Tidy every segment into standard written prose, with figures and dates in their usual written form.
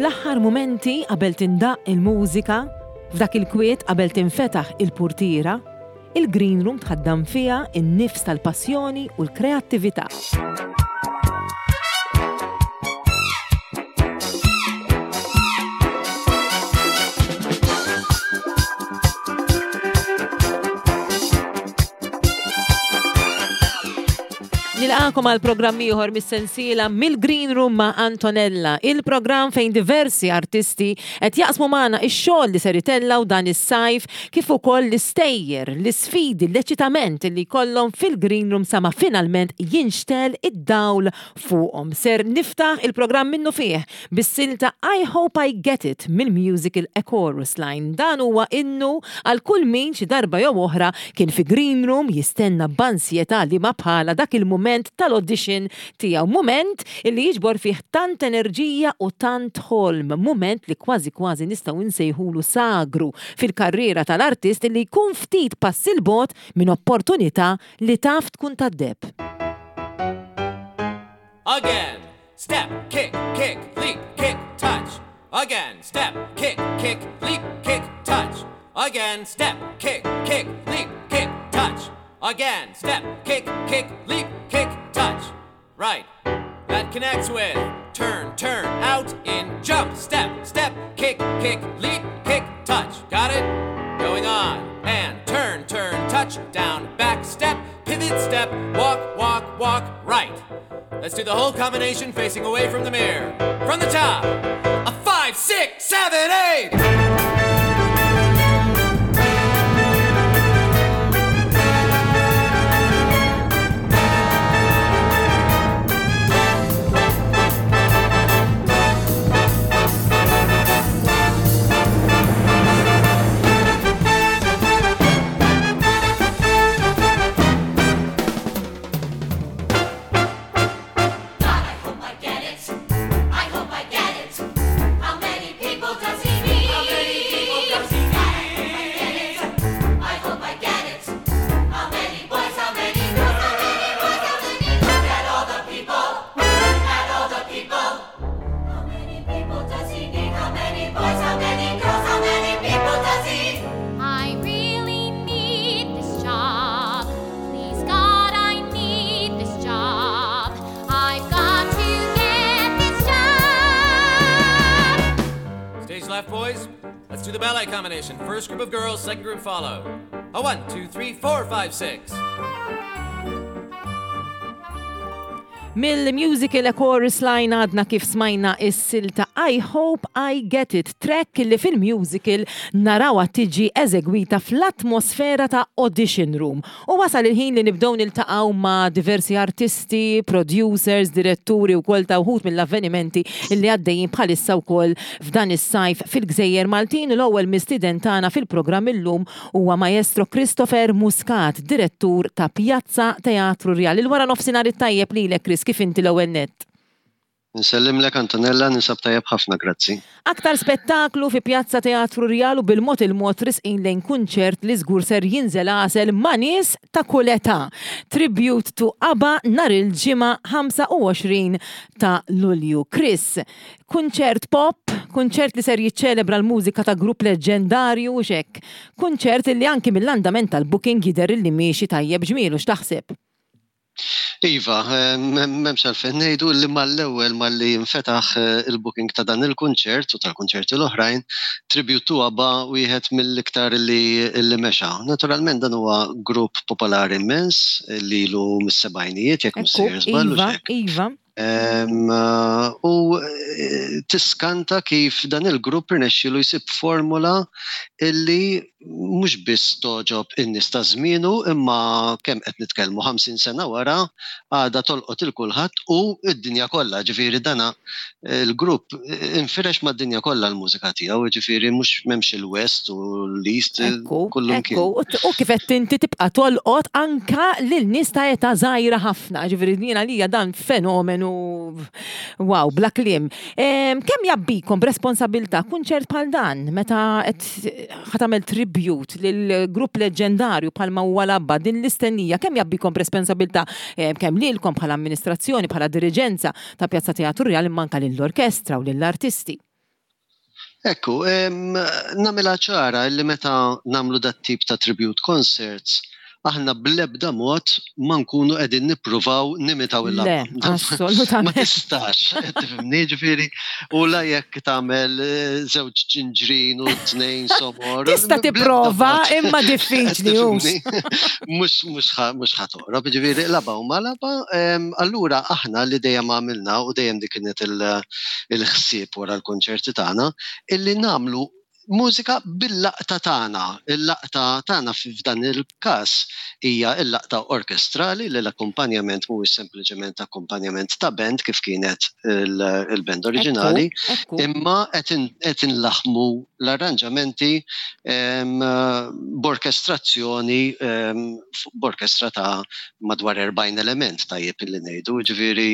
Fl-aħħar mumenti qabel tindaqq il-mużika, f'dak il-kwiet qabel tinfetaħ il-purtiera, il-green room tħaddan fiha n-nifs tal-passjoni u l-kreattività. Nilqakom għal programm ieħor mis-sensiela mill-Green Room ma' Antonella, il-programm fejn diversi artisti qed jaqsmu magħna x-xogħol li ser itellgħu dan is-sajf kif ukoll l-istejjer, l-isfidi, l-eċitament li jkollhom fil-Green Room sa ma finalment jinxtegħel id-dawl fuqhom. Ser niftaħ il-programm minnufih bis-silta I Hope I Get It mill-musical A Chorus Line. Dan huwa innu għal kull min xi darba jew oħra kien fi green room jistenna b'ansjetà liema bħalha dak il-mument tal-audition tiegħu. Mument illi jiġbor fih tant enerġija u tant ħolm. Mument li kważi kważi nistgħu nsejħulu sagru fil-karriera tal-artist illi jkun ftit pass 'il bogħod minn opportunità li taf tkun tad-deheb. Again, step, kick, kick, leap, kick, touch. Again, step, kick, kick, leap, kick, touch. Again, step, kick, kick, leap, kick, touch. Again, step, kick, kick, leap, kick, touch. Right. That connects with turn, turn, out, in, jump, step, step, kick, kick, leap, kick, touch. Got it? Going on. And turn, turn, touch, down, back, step, pivot, step, walk, walk, walk, right. Let's do the whole combination facing away from the mirror. From the top. A 5, 6, 7, 8. Let's do the ballet combination. First group of girls, second group follow. A 1, 2, 3, 4, 5, 6. Mill-musical A Chorus Line għadna kif smajna is-silta I Hope I Get It, track li fil-musical narawha tiġi eżegwita fl-atmosfera ta' audition room. U wasal il-ħin li nibdew niltaqgħu ma' diversi artisti, producers, diretturi wkoll ta' wħud mill-avvenimenti li għaddejjin bħalissa wkoll f'dan is-sajf fil-gżejjer Maltin u l-ewwel mistieden tagħna fil-programm illum huwa Maestro Christopher Muscat, direttur ta' Pjazza Teatru Rjal. Il-waranofsinhar it-tajjeb lilek Chris, kif inti l-ewwel nett? Nsellimlek Antonella, ninsab tajjeb ħafna grazzi. Aktar spettaklu fi Pjazza Teatru Rjal u bil-mod il-mod risqin lejn kunċert li żgur ser jinżel għasel ma' nies ta' kull età. Tribute to ABBA nhar il-Ġimgħa 25 ta' Lulju. Chris, kunċert pop, kunċert li ser jiċċelebra l-mużika ta' grupp leġġendarju hux hekk? Kunċert illi anki mill-andament tal-booking jidher illi miexi tajjeb ġmielu, x'taħseb? Iva, m'hemmx għalfejn ngħidu li mal-ewwel malli nfetaħ il-booking ta' dan il-kunċert u tal-kunċerti l-oħrajn, Tribute to ABBA wieħed mill-iktar li mexa. Naturalment dan huwa grupp popolari immens li ilu mis-sebgħinijiet jekk mhux sejjer żball. Iva, iva. U tiskanta kif dan il-grupp irnexxielu jsib formula illi mhux biss togħġob in-nies ta' żmienu imma kemm qed nitkellmu 50 sena wara għadha tolqot il kulħadd u d-dinja kollha, ġifieri dana l-grupp infirex mad-dinja kollha l-mużika tiegħu, ġifieri mhux m'hemmx il-West u l-East kullimkien. U kif għedt inti tibqa' tolqot anke lil nies ta' età żgħira ħafna, ġifieri jien għalija dan fenomenu wow, bla kliem. Kemm jgħabbikom b'responsabilità kunċert bħal dan meta qed ħa tagħmel tribute lil grupp leġġendarju bħalma huwa l-ABBA din l-istennija kemm jgħabbikom b'responsabilità kemm lilkom bħala amministrazzjoni, bħala diriġenza ta' Pjazza Teatru Rjal imma anke lill-orkestra u lill-artisti? Ekku, nagħmilha ċara li meta nagħmlu dat-tip ta' tribute concerts, aħna bl-ebda mod ma nkunu qegħdin nippruvaw nimitaw il-ABBA. Le, assolutament. Ma tistax, tifhimni ġifieri, u la jekk tagħmel eh, żewġ ġinġrin u tnejn somor. Tista' tipprova imma diffiċli hux. Mhux mhux mhux ħatoqrob, ġifieri l-ABBA huma l-ABBA, allura aħna li dejjem għamilna u dejjem dik kienet il-ħsieb wara l-konċerti tagħna, illi nagħmlu mużika bil-laqta tagħna. Il-laqta tagħna f'dan il-każ hija l-laqta orkestrali li l-akkumpanjament mhuwiex sempliċement akkumpanjament ta' band kif kienet il-band oriġinali, imma qed inlaħħmu l-arranġamenti b'orkestrazzjoni b'orkestra ta' madwar 40 element tajjeb illi ngħidu, ġifieri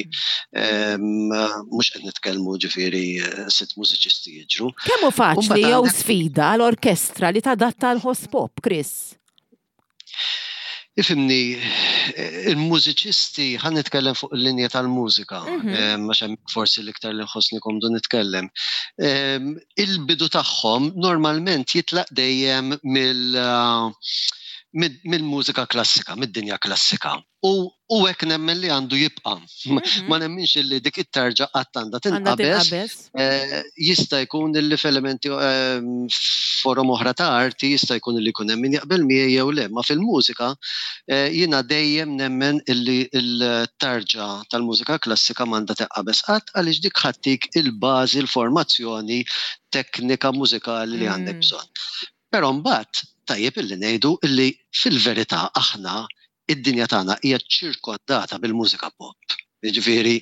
mhux qed nitkellmu ġifieri sitt mużiċisti jiġru. Kemm hu faċli jew sfida għal orkestra li tadatta għal ħoss pop, Chris? Ifimni, il-mużiċisti, ħan nitkellem fuq il-linja tal-mużika, mhm. għax hemm forsi l-iktar li nħossni komdu nitkellem. Il-bidu tagħhom normalment jitlaq dejjem mill mill-mużika klassika, mid-dinja klassika. U u hekk nemmen li għandu jibqa'. Mhm. Ma nemminx li dik it-tarġa qatt għandha tinqabeż. Eh, jista' jkun li f'elementi eh, forom oħra ta' arti jista' jkun li jkun hemm min jaqbel miegħi jew le, ma fil-mużika eh, jiena dejjem nemmen illi l-tarġa tal-mużika klassika m'għandha tinqabeż qatt għaliex dik ħattik il-bażi l-formazzjoni teknika mużikali li għandek mm. bżonn. Però mbagħad tajjeb illi ngħidu illi fil-verità aħna id-dinja tagħna hija ċirkondata bil-mużika pop. Jiġifieri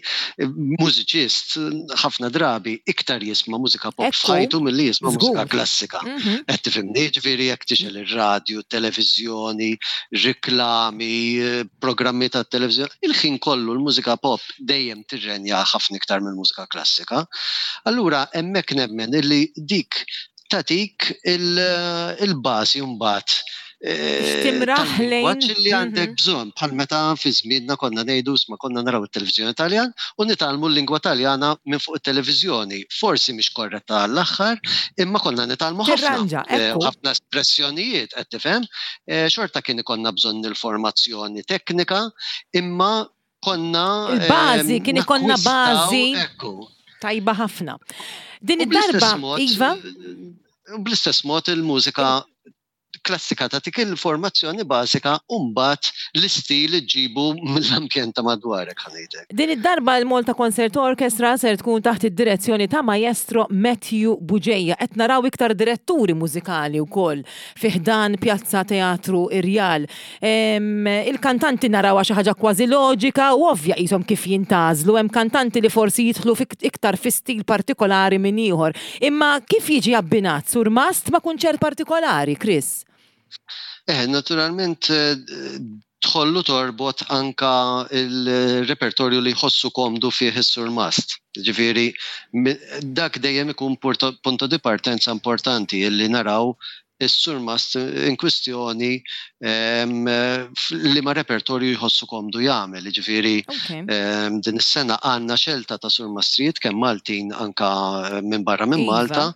mużiċist ħafna drabi iktar jisma' mużika pop f'ħajtu milli jisma' mużika klassika. Mhm. Qed tifhimni, jiġifieri jekk tixgħel ir-radju, televiżjoni, riklami, programmi tat-televiżjoni, il-ħin kollu l-mużika pop dejjem tirrenja ħafna iktar mill-mużika klassika. Allura hemmhekk nemmen illi dik tagħtik il-bażi mbagħad eh, timraħ lejn li għandek mhm. bżonn bħal meta fi żmienna konna ngħidu sma konna naraw it-televiżjoni Taljan u nitgħallmu l-lingwa Taljana minn fuq it-televiżjoni. Forsi mhix korretta għall-aħħar, imma konna nitgħallmu ħafna. Eh, ħafna espressjonijiet qed tifhem. Eh, xorta kien ikollna bżonn il-formazzjoni teknika, imma konna. Il-bażi, kien ikollna bażi. Tajba ħafna. Din id-darba, Iva? Bl-istess mod il-mużika klassika tagħtik il-formazzjoni bażika u mbagħad l-istil iġġibu mill-ambjent ta' madwarek ħa ngħidlek. Din id-darba l-Malta Concert Orchestra ser tkun taħt id-direzzjoni ta' Maestro Matthew Bugeja. Qed naraw iktar diretturi mużikali wkoll fi ħdan Pjazza Teatru Irjal. Il-kantanti narawha xi ħaġa kważi loġika u ovvja qishom kif jintgħażlu, hemm kantanti li forsi jidħlu iktar fi stil partikolari minn ieħor. Imma kif jiġi abbinat surmast ma' kunċert partikolari, Chris? Eh, naturalment tħollu torbot anka il-repertorju li jħossu komdu fih is-surmast. Ġifieri, dak dejjem ikun punto di partenza importanti illi naraw is-surmast in kwistjoni liema repertorju jħossu komdu jagħmel. Jiġifieri din is-sena għandna xelta ta' surmastrijiet kemm Maltin anka minn barra minn iva. Malta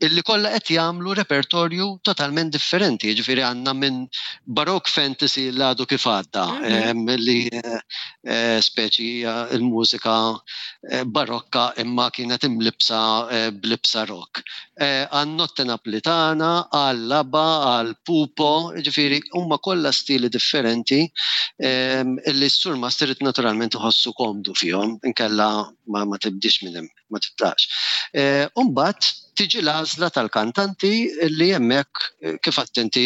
illi kollha qed jagħmlu repertorju totalment differenti. Jiġifieri għandna minn Baroque fantasy li għadu kif għadda mhm. li eh, speċi il-mużika eh, barokka imma kienet imlibsa eh, blibsa rock. Eh, għan-Notte Naplitana, għall-ABBA, għall-Pupo, ġifieri huma kollha stili differenti ehm, li s-surmast irid naturalment iħossu komdu fihom, inkella ma, ma tibdix minn hemm, ma titlaqx. Eh, Umbagħad tiġi l-għażla tal-kantanti li hemmhekk eh, kif attenti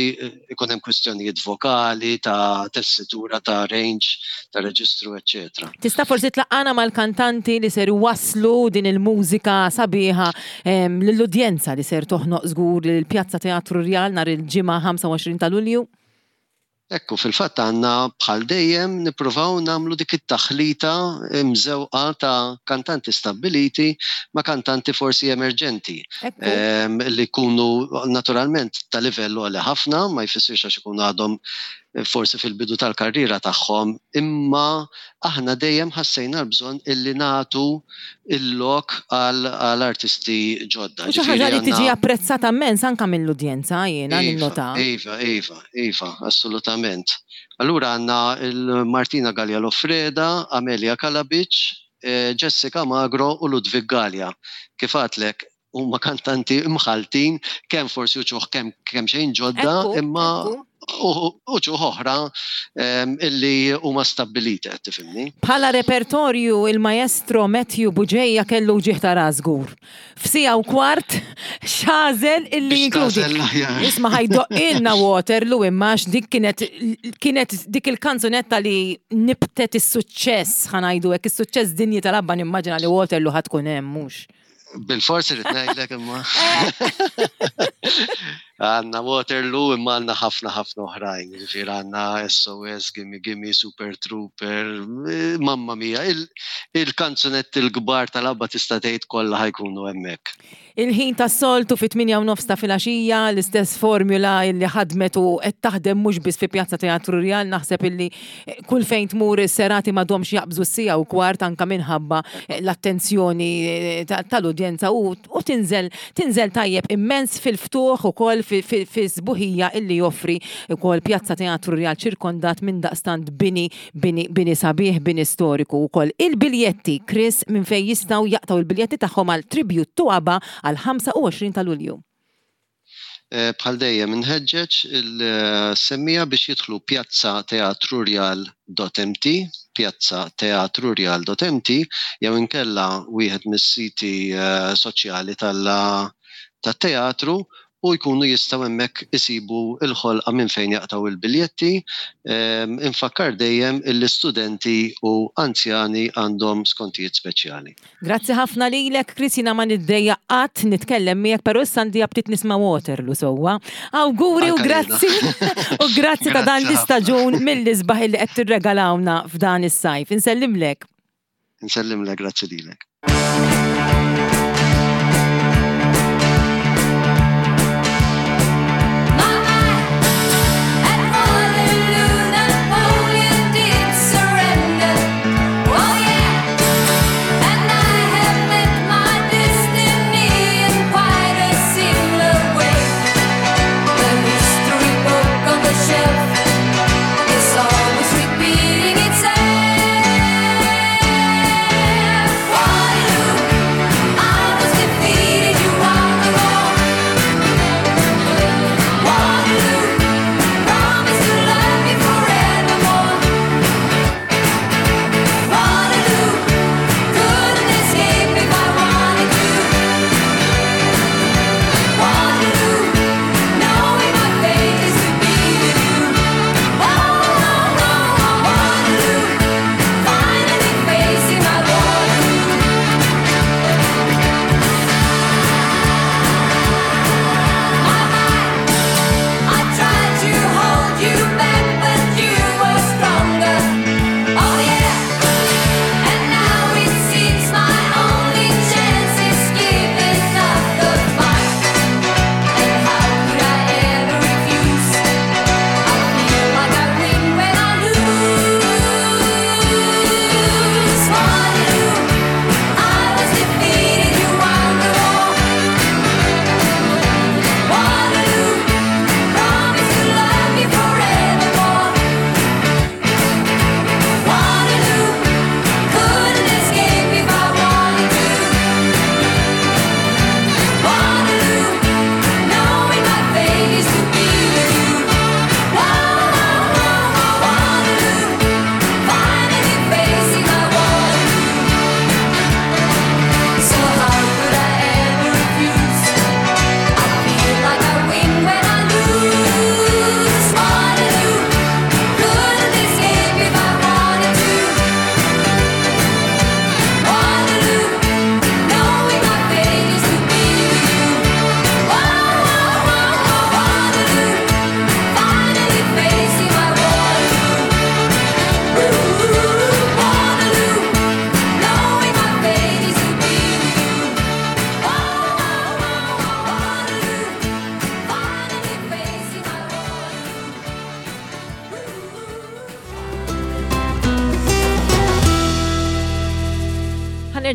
ikun hemm kwistjonijiet vokali, ta' tessitura, ta' range, ta' reġistru, eċċetera. Tista' forsi tlaqqana mal-kantanti li ser iwasslu din il-mużika sabiħa lill-udjenza li ser toħnoq żgur lill-Pjazza Teatru Rjal nhar il-Ġimgħa 25 ta' Lulju? Ekku, fil-fatt għandna bħal dejjem nippruvaw nagħmlu dik it-taħlita mżewqa ta' kantanti stabbiliti ma' kantanti forsi emerġenti li jkunu naturalment ta' livell għoli ħafna, ma jfissirx għax ikunu għadhom forsi fil-bidu tal-karriera tagħhom, imma aħna dejjem ħassejna l-bżonn illi nagħtu l-lok għal artisti ġodda. U xi ħaġa li tiġi apprezzata immens anke mill-udjenza jiena iva, ninnota. Iva, iva, iva, assolutament. Allura għandna il-Martina Galea Loffreda, Amelia Kalabic, Jessica Magro u Ludwig Galea. Kif għedtlek, huma kantanti mħaltin, kemm forsi uċuħ kemm xejn ġodda, imma uċuħ oħra illi huma stabbiliti, qed tifhimni. Bħala repertorju il-maestro Matthew Bugeja kellu wġigħ ta' ras żgur. F'siegħa u kwart x'għażel illi jinkludi. Isma' ħa jdoqqilna Waterloo imma għax dik kienet kienet dik il-kanzunetta li nibtet is-suċċess ħa ngħidu hekk, is-suċċess dinji tal-ABBA nimmaġina li Waterloo ħa tkun hemm mhux. Bil-forsi rrid ngħidlek imma. Għandna Waterloo imma għandna ħafna ħafna oħrajn. Ġifieri għandna SOS, Gimme Gimme, Super Trooper, mamma mia, il-kanzunetti l-kbar tal-ABBA tista' tgħid kollha ħa jkunu hemmhekk. Il-ħin tas-soltu fit-8 u nofs ta' filgħaxija, l-istess formula illi ħadmet u qed taħdem mhux biss fi Pjazza Teatru Rjal, naħseb illi kull fejn tmur is-serati m'għadhomx jaqbżu s-siegħa u kwart anka minħabba l-attenzjoni tal-udjenza u tinżel tinżel tajjeb immens fil-ftuħ ukoll fis-sbuħija illi joffri ukoll Pjazza Teatru Rjal ċirkondat minn daqstant bini bini bini sabiħ, bini storiku wkoll. Il-biljetti, Chris, minn fejn jistgħu jaqtgħu il-biljetti tagħhom għal Tribute to ABBA għal 25 ta' Lulju? Bħal dejjem inħeġġeġ il-semmiegħa biex jidħlu piazzateatrurjal.mt, piazzateatrurjal.mt, jew inkella wieħed mis-siti soċjali tat-teatru u jkunu jistgħu hemmhekk isibu l-ħolqa minn fejn jaqtgħu il-biljetti. Infakkar dejjem il-istudenti u anzjani għandhom skontijiet speċjali. Grazzi ħafna lilek, Chris, jiena ma niddejjaq qatt nitkellem miegħek, però issa għandi aptit nisma' Waterloo sewwa. Awguri u grazzi u grazzi ta' dan l-istaġun mill-isbaħ li qed tirregalawna f'dan is-sajf. Insellimlek. Insellimlek, grazzi lilek. My at Waterloo, Napoleon did surrender. Oh yeah, and I have met my destiny in quite a similar way. The history book on the shelf is always repeating itself. Waterloo.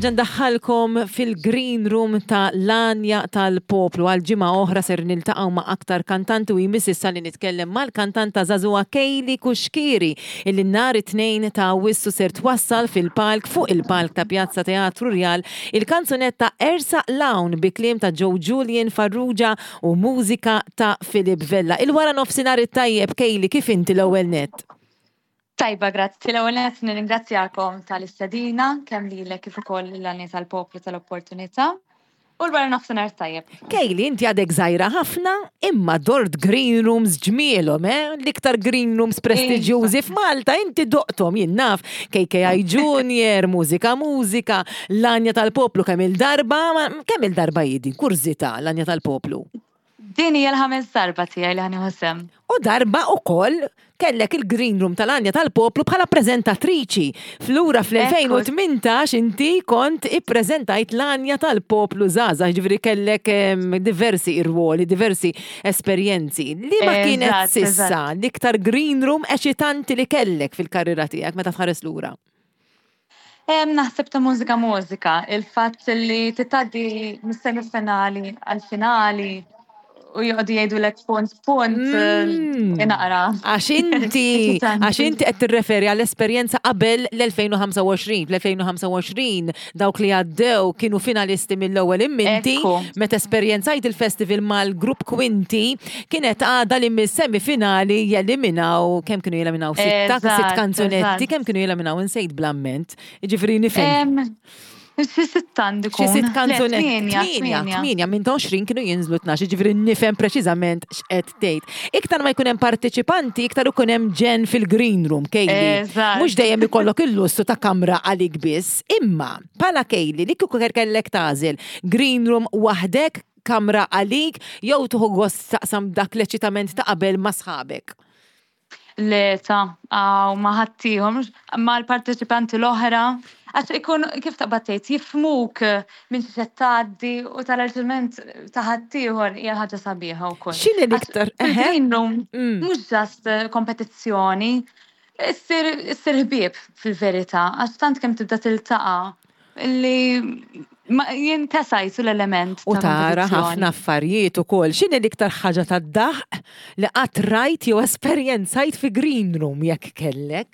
nerġa' ndaħħalkom fil-green room ta' l-Għanja tal-Poplu. Għal ġimgħa oħra ser niltaqgħu ma' aktar kantanti u jmiss issa li nitkellem mal-kantanta żagħżugħa Kayleigh Cuschieri illi nhar it-Tnejn ta' Awwissu ser twassal fil-palk fuq il-palk ta' Pjazza Teatru Rjal il-kanzunetta Ersaq 'l Hawn bi kliem ta' Joe Julian Farrugia u mużika ta' Philip Vella. Il-wara nofsinhar it-tajjeb Kayleigh, kif inti l-ewwel nett? Tajba, grazzi. L-ewwel nett nirringrazzjakom tal-istedina, kemm lilek kif ukoll lill-Għanja tal-Poplu tal-opportunità. U l-wara nofsinhar tajjeb. Kayleigh, inti għadek żgħira ħafna, imma dort green rooms ġmielhom, eh? L-iktar green rooms prestiġjużi f'Malta, inti doqthom, jien naf, KKI Junior, Mużika Mużika, l-Għanja tal-Poplu kemm il-darba, kemm il-darba hi din, kurżità, l-Għanja tal-Poplu? Din hija l-ħames darba tiegħi li ħa nieħu sehem. U darba ukoll kellek il-Green Room tal-Għanja tal-Poplu bħala preżentatriċi. Flura fl-2018 inti kont ippreżentajt l-Għanja tal-Poplu żgħażagħ, jiġifieri kellek diversi irwoli, diversi esperjenzi. Liema kienet s'issa l-iktar Green Room eċitanti li kellek fil-karriera tiegħek meta tħares lura? Naħseb ta' mużika mużika, il-fatt li titgħaddi mis-semifinali għal-finali u joqogħdu jgħidulek punt punt inaqra. Għax inti, għax inti qed tirreferi għall-esperjenza qabel l-2025. Fl-2025 dawk li għaddew kienu finalisti mill-ewwel imminti meta esperjenzajt il-festival mal-grupp Kwinti kienet għada li mis-semifinali jeliminaw, kemm kienu jeliminaw sitta, sitt kanzunetti, kemm kienu jeliminaw insejt bl-amment. Jiġifieri nifhem. Xi sitt għandi Xi sitt kanzunetti. Tmienja, tmienja, minn 20 kienu jinżlu 12, jiġifieri nifhem preċiżament x'qed tgħid. Iktar ma jkun hemm parteċipanti, iktar ikun hemm ġenn fil-green room, Kayleigh. Mhux dejjem ikollok il-lussu ta' kamra għalik biss, imma bħala Kayleigh li kieku kellek tagħżel green room waħdek, kamra għalik, jew tieħu gost taqsam dak l-eċitament ta' qabel ma' sħabek? Le ta' għaw ma' ħaddieħor, mhux mal-parteċipanti l-oħra, għax ikun kif taqbad tgħid jifhmuk minn xi qed tgħaddi u tal-eċitament ta' ħaddieħor hija ħaġa sabiħa wkoll. X'inhi l-iktar? Fil-green room mhux just kompetizzjoni, issir ħbieb fil-verità, għax tant kemm tibda tiltaqa' li jintesa jisu l-element. U tara ħafna affarijiet ukoll. X'inhi l-iktar ħaġa tad-daħq li qatt rajt jew esperjenzajt fi green room jekk kellek?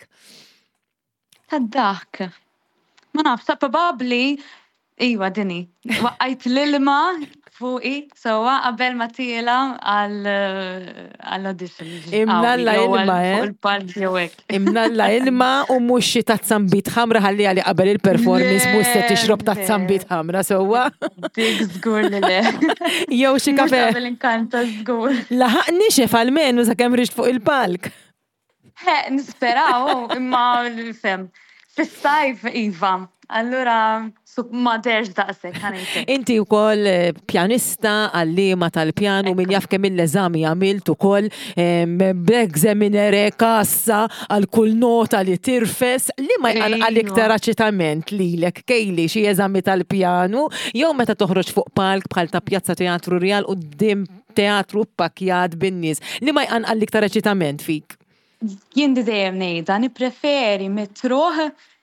Tad-daħk. Ma nafx, ta' probabbli iwa dini. Waqqajt l-ilma fuqi sewwa qabel ma tiela għall-audition. Imnalla ilma, eh? Il-palk jew hekk. Imnalla ilma u mhux xi tazza nbid ħamra ħalli għali qabel il-performance mhux se tixrob tazza nbid ħamra sewwa. Dik żgur li le. Jew xi kafe. Qabel inkanta żgur. Laħaq nixef almenu sakemm rixt fuq il-palk. He, nisperaw, imma fem. Fis-sajf, iva. Allura, ma derx daqshekk ħanejtek. Inti wkoll eh, pjanista, għalliema tal-pjanu, min jaf kemm il-eżami għamilt ukoll b'examinere kassa għal kull nota li tirfes, li ma jqanqal iktar aċitament lilek Kayleigh xi eżami tal-pjanu jew meta toħroġ fuq palk bħal ta' Pjazza Teatru Rjal quddiem teatru ppakkjat bin-nies, li ma jqanqal l-iktar eċitament fik? Jien di dejjem ngħidha, nippreferi mitruħ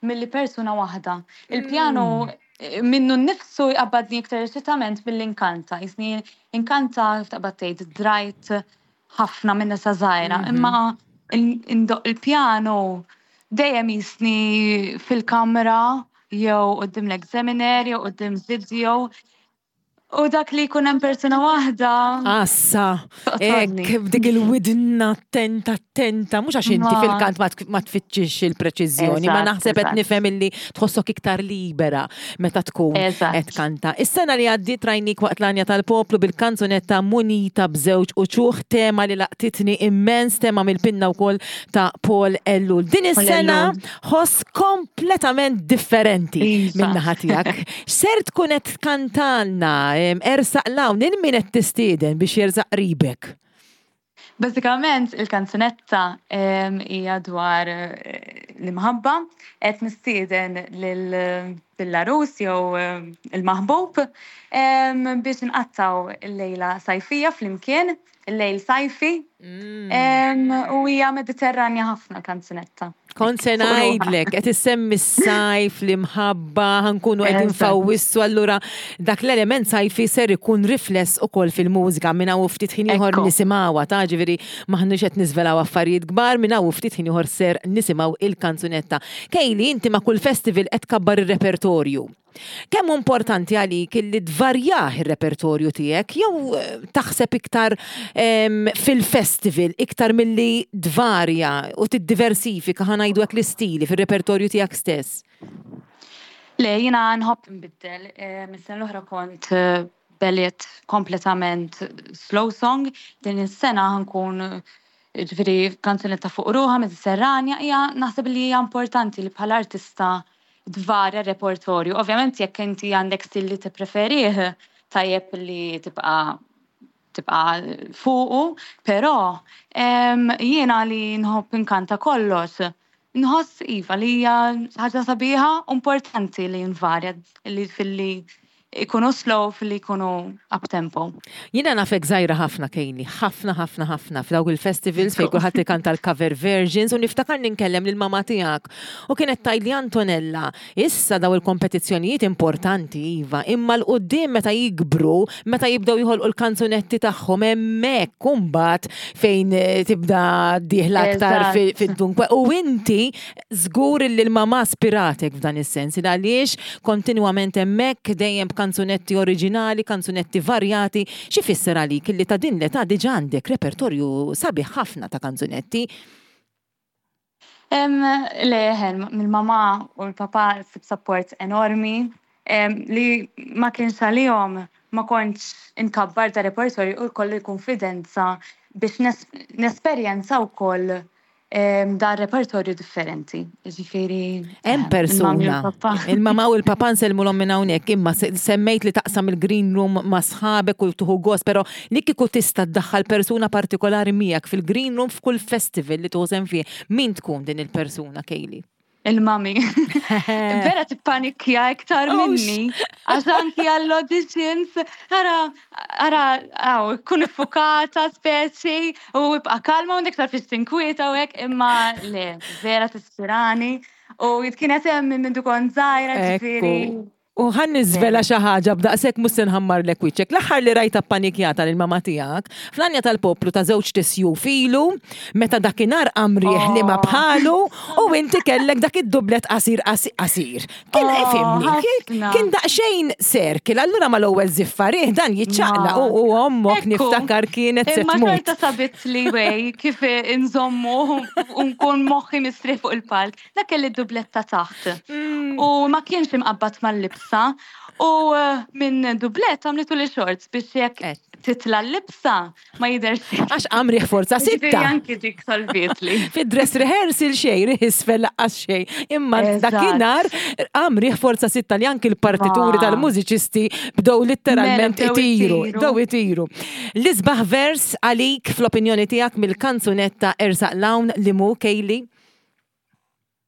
milli persuna waħda. Il-pjanu minnu nnifsu jqabbadni iktar eċitament milli nkanta. Jisni nkanta kif taqbad tgħid drajt ħafna minn nisa żgħira, imma indoqq il-pjanu dejjem jisni fil-kamra jew quddiem l-examiner jew quddiem video. U dak li jkun hemm persuna waħda. Assa, hekk b'dik il-widna attenta attenta, mhux għax inti fil-kant ma tfittxix il-preċiżjoni, ma naħseb qed nifhem illi tħossok iktar libera meta tkun qed tkanta. Is-sena li għaddiet rajnik waqt l-Għanja tal-Poplu bil-kanzunetta Munita b'żewġ uċuħ, tema li laqtitni immens, tema mill-pinna wkoll ta' Paul Ellul. Din is-sena ħoss kompletament differenti iva. minn naħa tiegħek. X'ser tkun qed tkantalna ersaq l-hawn il min qed tistieden biex jersaq qribek? Bażikament il-kanzunetta hija dwar eh, l-imħabba qed nistieden lil-larus jew il-maħbub biex nqattaw il-lejla sajfija flimkien, il-lejl sajfi. U hija Mediterranja ħafna kanzunetta. Kont se ngħidlek, qed issemmi s-sajf, l-imħabba, ħankunu qegħdin fawwissu, allura dak l-element sajfi ser ikun rifless ukoll fil-mużika minn hawn ftit ħin ieħor nisimgħuha, ta' ġifieri m'aħniex qed niżvelaw affarijiet kbar, minn hawn ftit ħin ieħor ser nisimgħu il-kanzunetta. Kejli, inti ma' kull festival qed tkabbar ir-repertorju. Kemm hu importanti għalik illi tvarjah ir-repertorju tiegħek jew eh, taħseb iktar fil-festival iktar milli tvarja u tiddiversifika ħa ngħidu hekk l-istili fir-repertorju tiegħek stess? Le, jiena nħobb nbiddel. Eh, mis-sena l-oħra kont eh, beliet kompletament slow song. Din is-sena ħankun ġifieri kanzunetta fuq ruħa Mediterranja hija naħseb li hija importanti li bħala artista tvarja r-repertorju. Ovvjament jekk inti għandek stil li tippreferih, tajjeb li tibqa' tibqa' fuqu, però jiena li nħobb inkanta kollox, nħoss iva li hija ħaġa sabiħa u importanti li nvarja li filli ikunu slow filli jkunu up tempo. Jiena nafek żgħira ħafna Kaylee, ħafna ħafna ħafna f'dawk il-festivals fejn kulħadd ikanta l-cover versions u niftakarni nkellem lil mamà tiegħek u kienet tgħidli Antonella, issa daw il-kompetizzjonijiet importanti iva, imma 'l quddiem meta jikbru, meta jibdew joħolqu l-kanzunetti tagħhom hemmhekk imbagħad fejn tibda dieħla aktar fid-dunkwe u inti Żgur illi l-mamà spiratek f'dan is-sens, il għaliex kontinwament hemmhekk dejjem b'kanzunetti oriġinali, kanzunetti varjati. X'ifisser għalik illi ta' din l-età diġà għandek repertorju sabiħ ħafna ta' kanzunetti? Le, eħe, mill-mamà u l-papà ssib sapport enormi li ma kienx għalihom ma kontx inkabbar da repertorju u jkolli l-kunfidenza biex nesperjenza wkoll dan repertorju differenti. Ġifieri. Hemm persuna. Il-mama u l-papa nsellmulhom minn hawnhekk, imma semmejt li taqsam il-green room ma' sħabek u tuħu gost, però li kieku tista' ddaħħal persuna partikolari miegħek fil-green room f'kull festival li tuħu sehem fih, min tkun din il-persuna, Kayleigh? Il-mami. Vera tippanikja iktar oh, minni. Għax anki għall-auditions, ara, ara, għaw, kun iffukata speċi u ibqa kalma u iktar fiex tinkwieta u hekk, imma le, vera tispirani. U kienet hemm minn kont żgħira ġifieri. U ħa niżvela xi ħaġa b'daqshekk mhux se nħammarlek wiċċek. L-aħħar li rajtha ppanikjata lil mamà tiegħek, fl-għanja tal-poplu ta' żewġt isjuf ilu, meta dakinhar qam riħ li ma bħalu u inti kellek dak id-dublet qasir qasir. Kien ifhimni, kien daqsxejn circle, allura mal-ewwel żiffa riħ dan jiċċaqlaq u ommok niftakar kienet se tmut. Imma xorta sabitli way kif inżommu u nkun moħħi mistrieħ fuq il-palk. Dak kelli d-dubletta taħt. U ma kienx imqabbad mal-libsa. U eh, minn dublett għamlitu li shorts biex jekk eh. titla l-libsa ma jidher Għax għamri forza sitta. Anki dik salvietli. Fid-dress rehearsal xej, riħ isfel laqqas xej. Imma dakinhar għamri forza sitta li anki l-partituri tal-mużiċisti bdew litteralment mela, itiru. Bdew itiru. L-isbaħ vers għalik fl-opinjoni tiegħek mill-kanzunetta Ersaq Lawn li mu Kejli?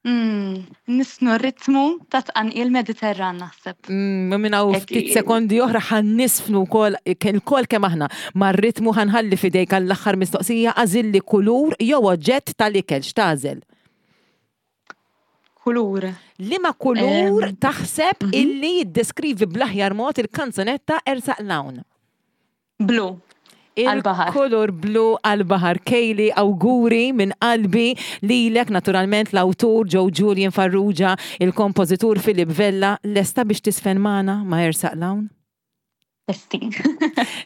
Mm, nisnu ritmu ta' tqanqil Mediterran naħseb. Mm, minn hawn ftit sekondi oħra ħan nisfnu wkoll il-kol kemm aħna mar-ritmu ħanħalli fidejk għall-aħħar mistoqsija għażilli kulur jew oġġett tal-ikel x'tagħżel? Kulur. Liema kulur taħseb illi jiddeskrivi bl-aħjar mod il-kanzunetta Ersaq Lawn? Blu. Għal-baħar. Il-kulur blu għal-baħar. Kayleigh, awguri minn qalbi lilek, naturalment l-awtur Joe Julian Farrugia, il-kompożitur Philip Vella, lesta biex tisfen magħna ma' Ersaq Lawn? Lesti.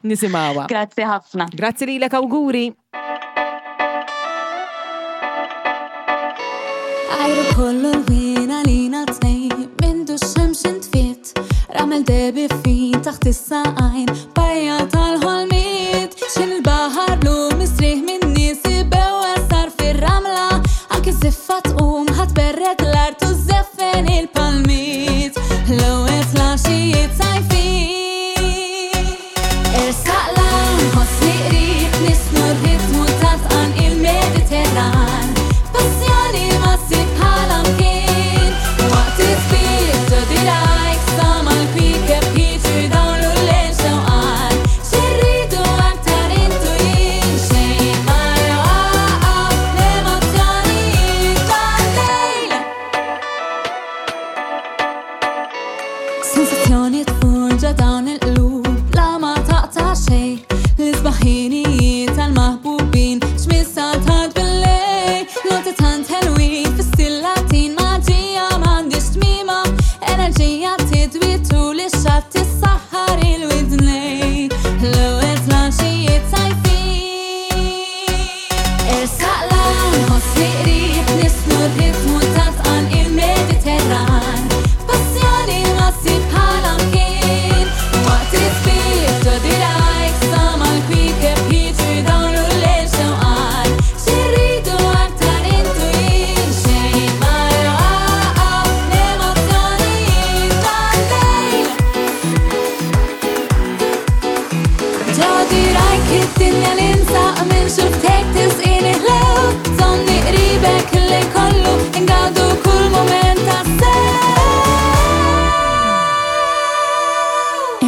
Nisimgħuha. Grazzi ħafna. Grazzi lilek, awguri. Ajru kollu l-wien għalina tnejn Mindu x-xemx intfiet Ramel debi fin taħt is-saqajn Bajja tal-ħolmiet Xin il-baħar blu mistrieħ minn nies ibewa sar fir-ramla Anki żiffa tqum ħadd berred l-art u żeffen il-palmiet L-ewwel flaxijiet sajfin Ersaq 'l-hawn, ħossni qrib, nisnu r-ritmu ta' tqanqil Mediterran. Passjoni ma ssib bħalha mkien. Waqt it-tbid ġo dirgħajk sa mal-kwiekeb jiġu jdawlu l-lejl xewqan. Xi rridu aktar int u jien,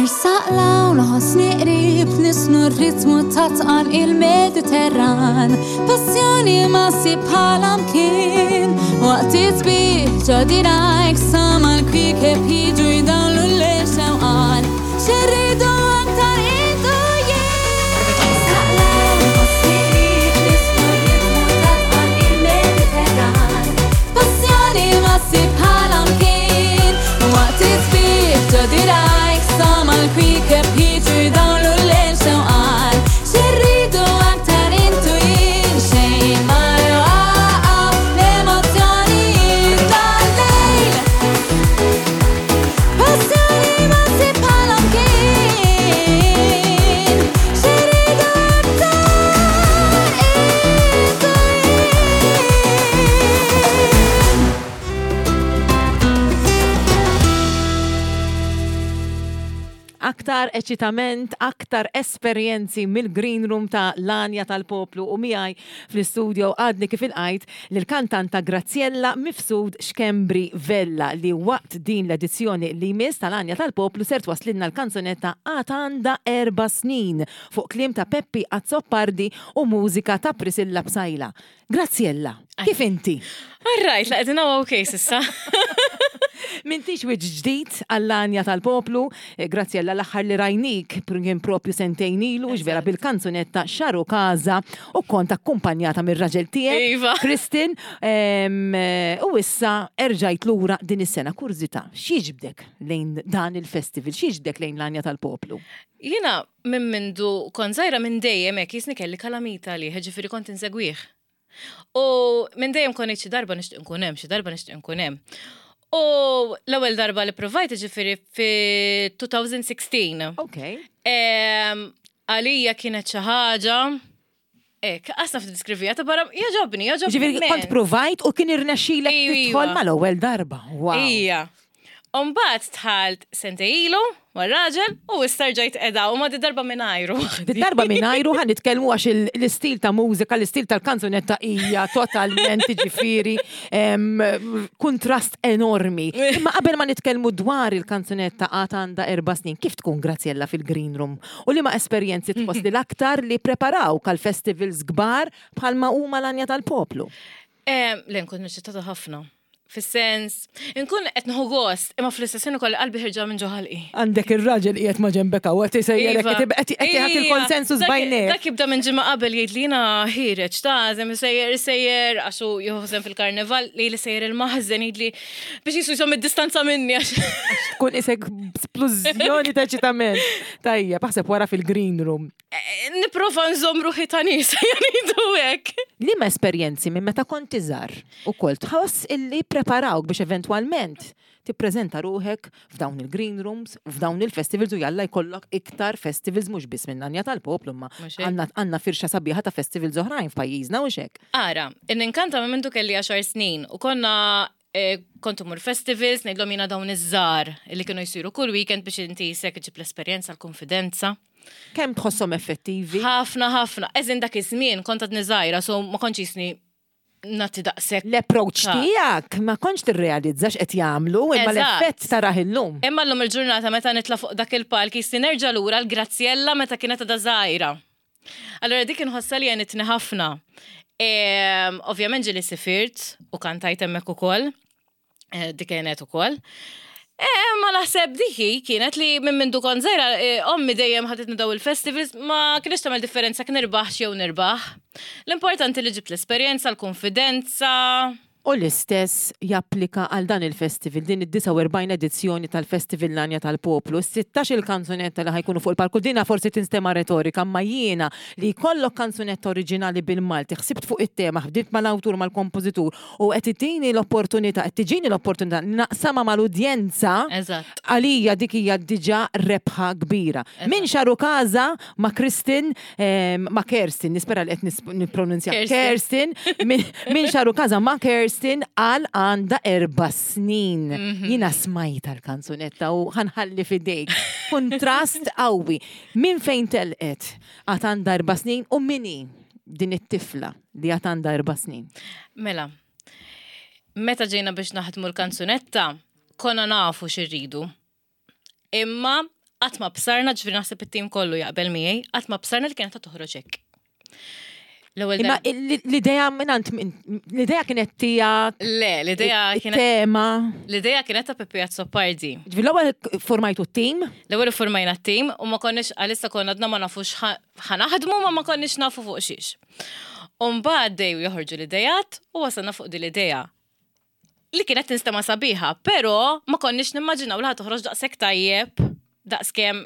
Ersaq l-hawn ħossni qrib nisnu r-ritmu ta' tqan il-Mediterran. Passjoni ma ssib bħala mkien. Waqt it-tbih ġo dirajk sama l-kwiekeb jiġu jdawlu l-lejl xewqan. X'irridu aktar int u jien? Ersaq l-hawn ħossni qrib nisnu r-ritmu ta' tqan il-Mediterran. Passjoni ma ssib bħala mkien. Waqt it-tbih ġo dirajk sama l-kwiekeb jiġu jdawlu l-lejl xewqan. X'irridu aktar int u jien? Xejn ma jwaqqaf l-emozzjonijiet tal-lejl. Passjoni ma ssib bħala mkien. X'irridu aktar int u jien? Aktar eċitament, aktar esperjenzi mill-Green Room ta' l-Għanja tal-Poplu u miegħi fl-istudio għadni kif ilqajt lill-kantanta Graziella Mifsud Schembri Vella li waqt din l-edizzjoni li jmiss tal-Għanja tal-Poplu ser twasslilna l-kanzunetta Għad Għandha Erba' Snin fuq kliem ta' Peppi Azzopardi u mużika ta' Priscilla Psaila. Graziella, kif inti? All right, la qegħdin hawn okay sissa. M'intix wiċċ ġdid għall-għanja tal-poplu, eh, Graziella l-aħħar li rajnik kien propju sentejn ilu, vera bil-kanzunetta Xaru Kaza u kont akkumpanjata mir-raġel tiegħek, Iva. Kristin, eh, u issa erġajt lura din is-sena. Kurżità, x'jiġbdek lejn dan il-festival, x'jiġbdek lejn l-għanja tal-poplu? Jiena minn mindu kont żgħira minn dejjem hekk jisni kelli kalamita għalih, ġifieri kont insegwih. U minn dejjem kont ngħid xi darba nixtieq nkun hemm, xi darba nixtieq nkun hemm. U l-ewwel darba li provajt ġifieri fi 2016. Ok. Għalija kienet xi ħaġa Ek, għasna f'diskrivija ta' barra, jaġobni, jaġobni. Ġifieri kont provajt u kien irnexxilek tidħol mal-ewwel darba. Wow. Ija. Umbat tħalt sentej ilu mar-raġel u issa rġajt qiegħda u ma di darba mingħajru. Di darba mingħajru ħa nitkellmu għax l-istil ta' mużika, l-istil tal-kanzunetta hija totalment ġifieri kuntrast enormi. Imma qabel ma nitkellmu dwar il-kanzunetta għad għandha erba' snin, kif tkun Graziella fil-Green Room? U liema esperjenzi tħoss li l-aktar li ppreparawk għal festivals kbar bħalma huma l-Għanja tal-Poplu? Le, nkun eċċitata ħafna. Fis-sens, inkun qed nieħu gost, imma fl-istess ħin ukoll qalbi ħirġa minn ġo ħalqi. Għandek ir-raġel qiegħed ma' ġenbek hawn, qed isejjerek, Iva. qed qed jagħti l-konsensus Dak- b'għajnejh. Dak jibda minn ġimgħa qabel jgħid li jiena ħiereġ ta' żemm isejjer isejjer għax hu jieħu sehem fil-karnival li li sejjer il-maħżen jgħidli biex jisu jżomm id-distanza minni għax. Tkun isek splużjoni ta' eċitament. Tajjeb, aħseb wara fil-green room. Eh, Nipprova nżomm ruħi ta' nies jgħidu hekk. Liema esperjenzi minn meta kont iżgħar ukoll tħoss illi ppreparawk biex eventwalment tippreżenta ruħek f'dawn il-green rooms, f'dawn il-festivals u jalla jkollok iktar festivals mhux biss minn Anja tal-Poplu imma għandna għandna firxa sabiħa ta' festivals oħrajn f'pajjiżna u hekk. Ara, ninkanta minn mindu kelli għaxar snin u konna eh, kont imur festivals, ngħidlhom jiena dawn iż-żgħar li kienu jsiru kull weekend biex inti jisek iġib l-esperjenza, l-konfidenza. Kemm tħosshom effettivi? Ħafna, ħafna. Eżin dak iż-żmien kont għadni żgħira, so ma kontx jisni nagħti daqshekk. L-approach tiegħek ma kontx tirrealizza x'qed jagħmlu, imma l-effett tarah illum. Imma llum il-ġurnata meta nitla' fuq dak il-palk jisni nerġa' lura l-Graziella meta kienet għadha żgħira. Allura dik inħossha li għenitni ħafna. Ovvjament ġieli sifirt u kantajt hemmhekk ukoll. Eh, dik għenet ukoll. Eh, ma naħseb diki kienet li minn mindu kont żgħira eh, ommi dejjem ħaditni daw il-festivals ma kienx tagħmel differenza kien nirbaħ jew nirbaħ. L-importanti li ġibt l-esperjenza, l-konfidenza. U l-istess japplika għal dan il-festival, din id-49 edizzjoni tal-Festival L-Għanja tal-Poplu. Is-sittax-il kanzunetta li ħa jkunu fuq il-palk, u dina forsi tinstema' retorika, imma jiena li jkollok kanzunetta oriġinali bil-Malti, ħsibt fuq it-tema, ħdimt mal-awtur, mal-kompożitur, u qed ittini l-opportunità, qed tiġini l-opportunità li naqsamha mal-udjenza, għalija dik hija diġà rebħa kbira. Min xaru Casa ma' Kristin, ma' Kerstin, nispera li qed nippronunzja. Kerstin, minn xaru kaza ma' Kerstin għal għanda erba snin. Mhm. Jina smajta l-kanzunetta u ħanħalli fidejk. Kontrast qawwi. Minn fejn telqet għad għanda erba snin u mini din it-tifla li għad għanda erba snin? Mela, meta ġejna biex naħdmu l-kanzunetta, konna nafu xirridu. Imma Qatt ma bsarna, ġifieri naħseb it-tim kollu jaqbel miegħi, qatt ma bsarna li kienet toħroġ hekk. L-ewwel Imma l-idea mingħand l-idea kienet tiegħek. Le, l-idea kienet tema. L-idea kienet ta' Peppi Azzopardi. Ġifieri l-ewwel formajtu t-tim? L-ewwel formajna t-tim u ma konniex għalissa konna għadna ma nafux ħanaħdmu ma ma konniex nafu fuq xiex. U mbagħad dejju joħorġu l-idejat u wasalna fuq din l-idea li kienet tinstema sabiħa, pero ma konniex nimmaġinaw li toħroġ daqshekk tajjeb, daqskemm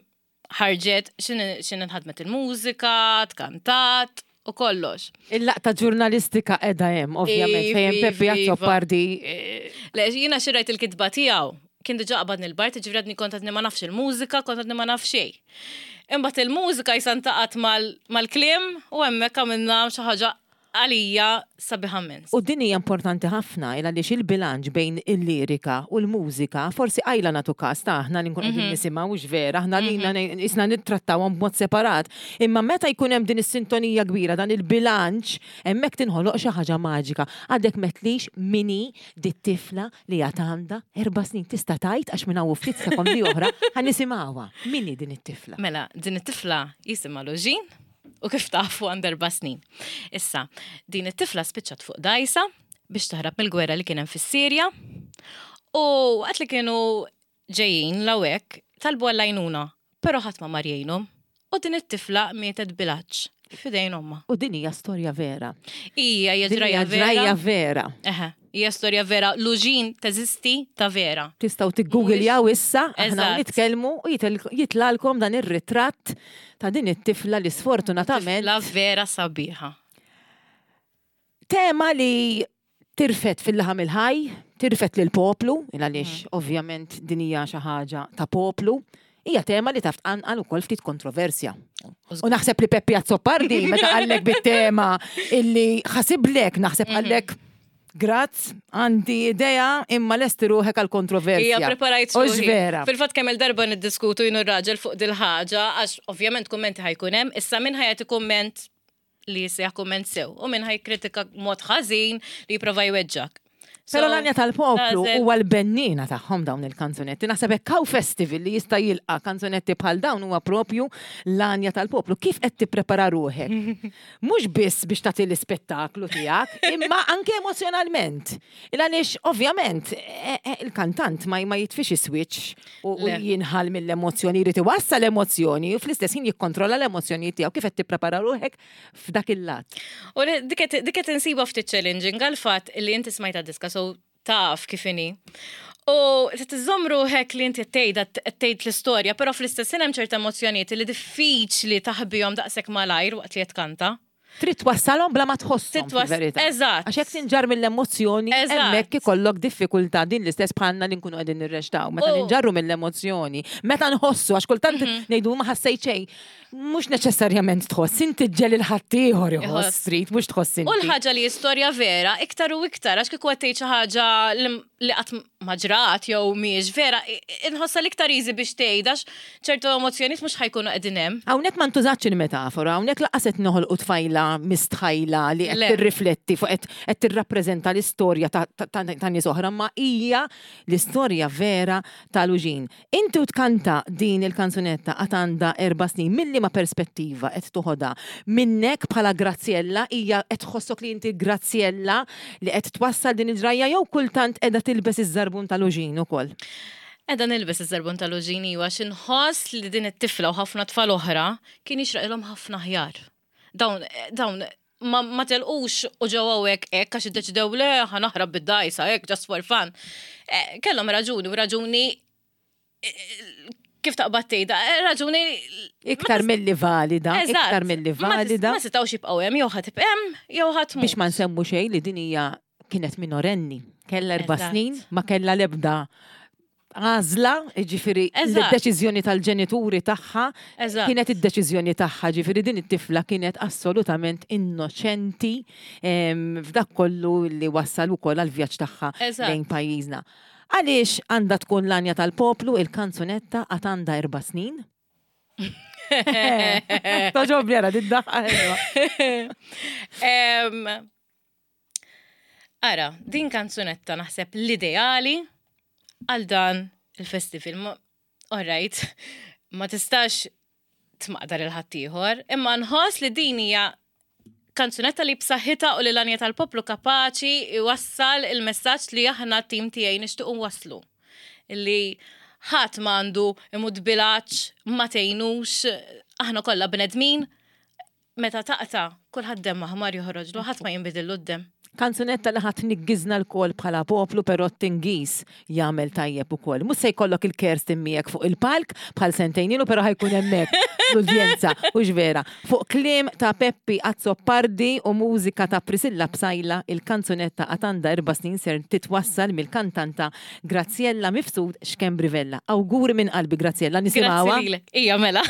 ħarġet x'in inħadmet il-mużika, tkantat u kollox. Il-laqta ġurnalistika qiegħda hemm, ovvjament, fejn Peppi Azzopardi. Eh, Le, jiena xi rajt il-kitba tiegħu, kien diġà qabadni l-bart, ġifieri għadni kont għadni ma nafx il-mużika, kont għadni ma naf xejn. Imbagħad il-mużika jisantaqat mal-kliem u hemmhekk għamilna xi ħaġa għalija sabiħa immens. U din hija importanti ħafna il għaliex il-bilanċ bejn il-lirika u l-mużika forsi qajla nagħtu każ ta' aħna li nkunu qegħdin mhm. nisimgħu hux vera, aħna lilna mhm. isna nittrattawhom b'mod separat. Imma meta jkun hemm din is-sintonija kbira, dan il-bilanċ, hemmhekk tinħoloq xi ħaġa maġika. Għadek metlix mini dit-tifla li għad għandha erba' snin tista' tgħid għax minn hawn ftit sekondi oħra ħa nisimgħuha. Min hi din it-tifla? Mela, din it-tifla jisimha Loġin u kif tafu għandha erba' snin. Issa, din it-tifla spiċċat fuq dajsa biex taħrab mill-gwerra li kien hemm fis-Sirja u waqt li kienu ġejjin lawek talbu għall-għajnuna, però ħadd ma mar jgħinhom. U din it-tifla mietet bil-għatx f'idejn ommha. U din hija storja vera. Hija hija ġrajja vera. Ġrajja vera. Eħe, hija storja vera. Luġin teżisti ta' vera. Tistgħu tiggoogiljaw issa, aħna nitkellmu u jitlalkom dan ir-ritratt ta' din it-tifla li sfortunatament. Tifla vera sabiħa. Tema li tirfed fil-laħam il-ħaj, tirfed lill-poplu, għaliex mm. ovvjament din hija xi ħaġa ta' poplu, hija tema li taf tqanqal ukoll ftit kontroversja. U naħseb li Peppi Azzopardi meta qallek bit-tema illi ħasiblek naħseb mhm. qallek Grazz, għandi idea imma lesti ruħek għal kontroversja. Ija preparajt ruħi. vera. Fil-fatt kemm il-darba niddiskutu jien u r-raġel fuq dil-ħaġa għax ovvjament kummenti ħa jkun hemm, issa min ħa jagħti kumment li jisejjaħ kumment sew u min ħa jikkritika mod ħażin li jipprova jweġġak. Pero l-għanja tal-poplu huwa l-bennina tagħhom dawn il-kanzunetti. Naħseb hekk hawn festival li jista' jilqa' kanzunetti bħal dawn huwa propju l-għanja tal-poplu. Kif qed tipprepara ruħek? Mhux biss biex tagħti l-ispettaklu tiegħek, imma anke emozjonalment. Il għaliex ovvjament e, e, il-kantant ma ma jitfix is-switch u jinħal mill-emozzjoni, jrid iwassal l-emozzjoni u fl-istess ħin jikkontrolla l-emozzjonijiet tiegħu. Kif qed tipprepara ruħek f'dak il-lat? U dik qed insiba ftit challenging għall-fatt li inti smajta diska so taf kif inhi. U trid iżżomm ruħek li inti qed tgħidha qed tgħid l-istorja, però fl-istess ħin hemm ċerta emozzjonijiet li diffiċli taħbihom daqshekk malajr waqt li qed tkanta. Trid twassalhom bla ma tħosshom fil-verità. Eżatt. Għax jekk tinġarr mill-emozzjoni, hemmhekk ikollok diffikultà din l-istess bħalna li nkunu qegħdin nirreċtaw. Meta ninġarru mill-emozzjoni, meta nħossu, għax kultant ngħidu ma ħassejt xejn. Mhux neċessarjament tħoss, inti ġġel il-ħaddieħor iħoss trid, mhux tħoss inti. U l-ħaġa li istorja vera, iktar u iktar, għax kieku qed tgħid xi ħaġa li qatt ma ġrat jew mhijiex vera, inħossha l-iktar easy biex tgħid għax ċertu emozzjonijiet mhux ħajkunu qegħdin hemm. Hawnhekk ma ntużatx il-metafora, hawnhekk lanqas qed noħolqu tfajla mistħajla li qed tirrifletti fuq qed tirrappreżenta l-istorja ta' nies oħra, ma hija l-istorja vera ta' Luġin. Inti u tkanta din il-kanzunetta għad għandha erba' snin, minn liema perspettiva qed toħodha? Minnek bħala Graziella, hija qed tħossok li inti Graziella li qed twassal din il-ġrajja jew kultant qiegħda tilbes iż-żarbun ta' Luġin ukoll? Qiegħda nilbes iż-żarbun ta' Luġin iva għax inħoss li din it-tifla u ħafna tfal oħra kien jixraqilhom ħafna aħjar. Dawn, dawn ma, ma telqux u ġew hawnhekk hekk għax iddeċidew le ħa naħrab bid-dajsa hekk just for fun. Eh, kellhom raġuni u raġuni eh, kif taqbad tgħidha, eh, raġuni iktar milli valida, iktar milli valida. Ma setgħux jibqgħu hemm jew ħadd hemm jew ħadd Biex ma nsemmu xejn li din hija kienet minorenni, kellha erba' snin, ma kellha l-ebda għażla, ġifiri l-deċiżjoni tal-ġenituri tagħha kienet id-deċiżjoni tagħha, ġifiri din it-tifla kienet assolutament innoċenti f'dak kollu li wassal ukoll għall-vjaġġ tagħha lejn pajjiżna. Għaliex għandha tkun l-għanja tal-poplu il-kanzunetta għad għandha erba' snin? Toġobni għara, did-daħqa Ara, din kanzunetta naħseb l-ideali għal dan il-festival. All right. Ma tistax tmaqdar il-ħaddieħor, imma nħoss li din hija kanzunetta li b'saħħitha u li l-għanja tal-poplu kapaċi jwassal il-messaġġ li aħna t-tim tiegħi nixtiequ nwasslu. Li ħadd m'għandu imut bil-għatx, ma tgħinux, aħna kollha bnedmin, meta taqta' kulħadd demm aħmar joħroġlu, ħadd ma jinbidillu d-demm. Kanzunetta li ħa tniggiżna lkoll bħala poplu però t-tingiż jagħmel tajjeb ukoll. Mhux se jkollok il-Kerstin miegħek fuq il-palk bħal sentejn ilu però ħa jkun hemmhekk l-udjenza, hux vera? Fuq kliem ta' Peppi Azzopardi u mużika ta' Priscilla Psaila, il-kanzunetta Għad għandha erba' snin ser titwassal mill-kantanta Graziella Mifsud Schembri Vella. Awguri minn qalbi Graziella, nisimgħuha. Grazzi lilek. Ija mela.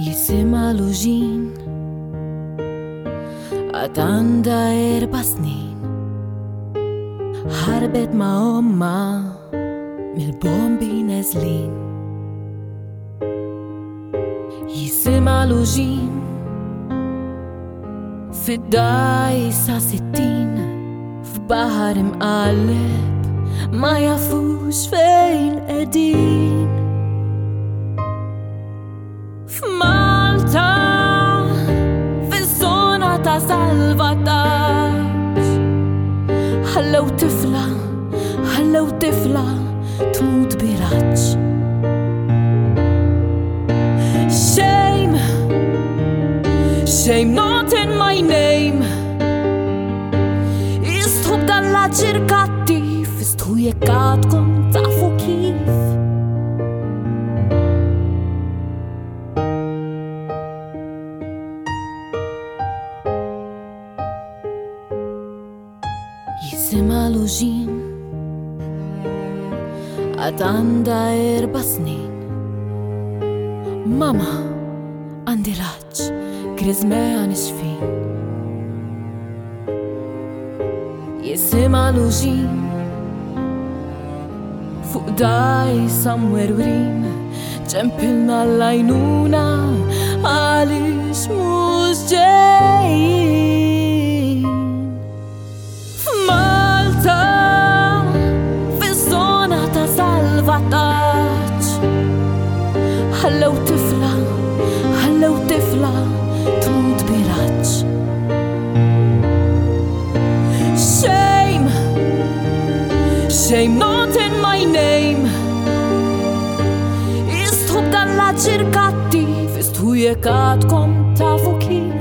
Jisimha Luġin Għad għandha erba' snin Ħarbet ma' omma mill-bombi neżlin Jisimha Luġin Fid-dgħajsa 60 F'baħar imqalleb Ma jafux fejn qegħdin F'Malta Fiż-żona ta' salvataġġ Ħallew tifla Ħallew tifla Tmut bil-għatx Shame Shame not in my name Istħu b'dan l-aġir kattiv Istħu jekk għadkom tafu kif Jisimha Luġin Għad għandha erba' snin Mama għandi l-għatx Griżmejha nixfin Jisimha Luġin Fuq dgħajsa mwerwrin Ċempilna l-għajnuna Għaliex mhux ġejjin F'Malta Fiż-żona ta' salvataġġ Ħallew tifla Ħallew tifla Tmut bil-għatx Shame Shame not in my name Istħu b'dan l-aġir kattiv Istħu jekk għadkom tafu kif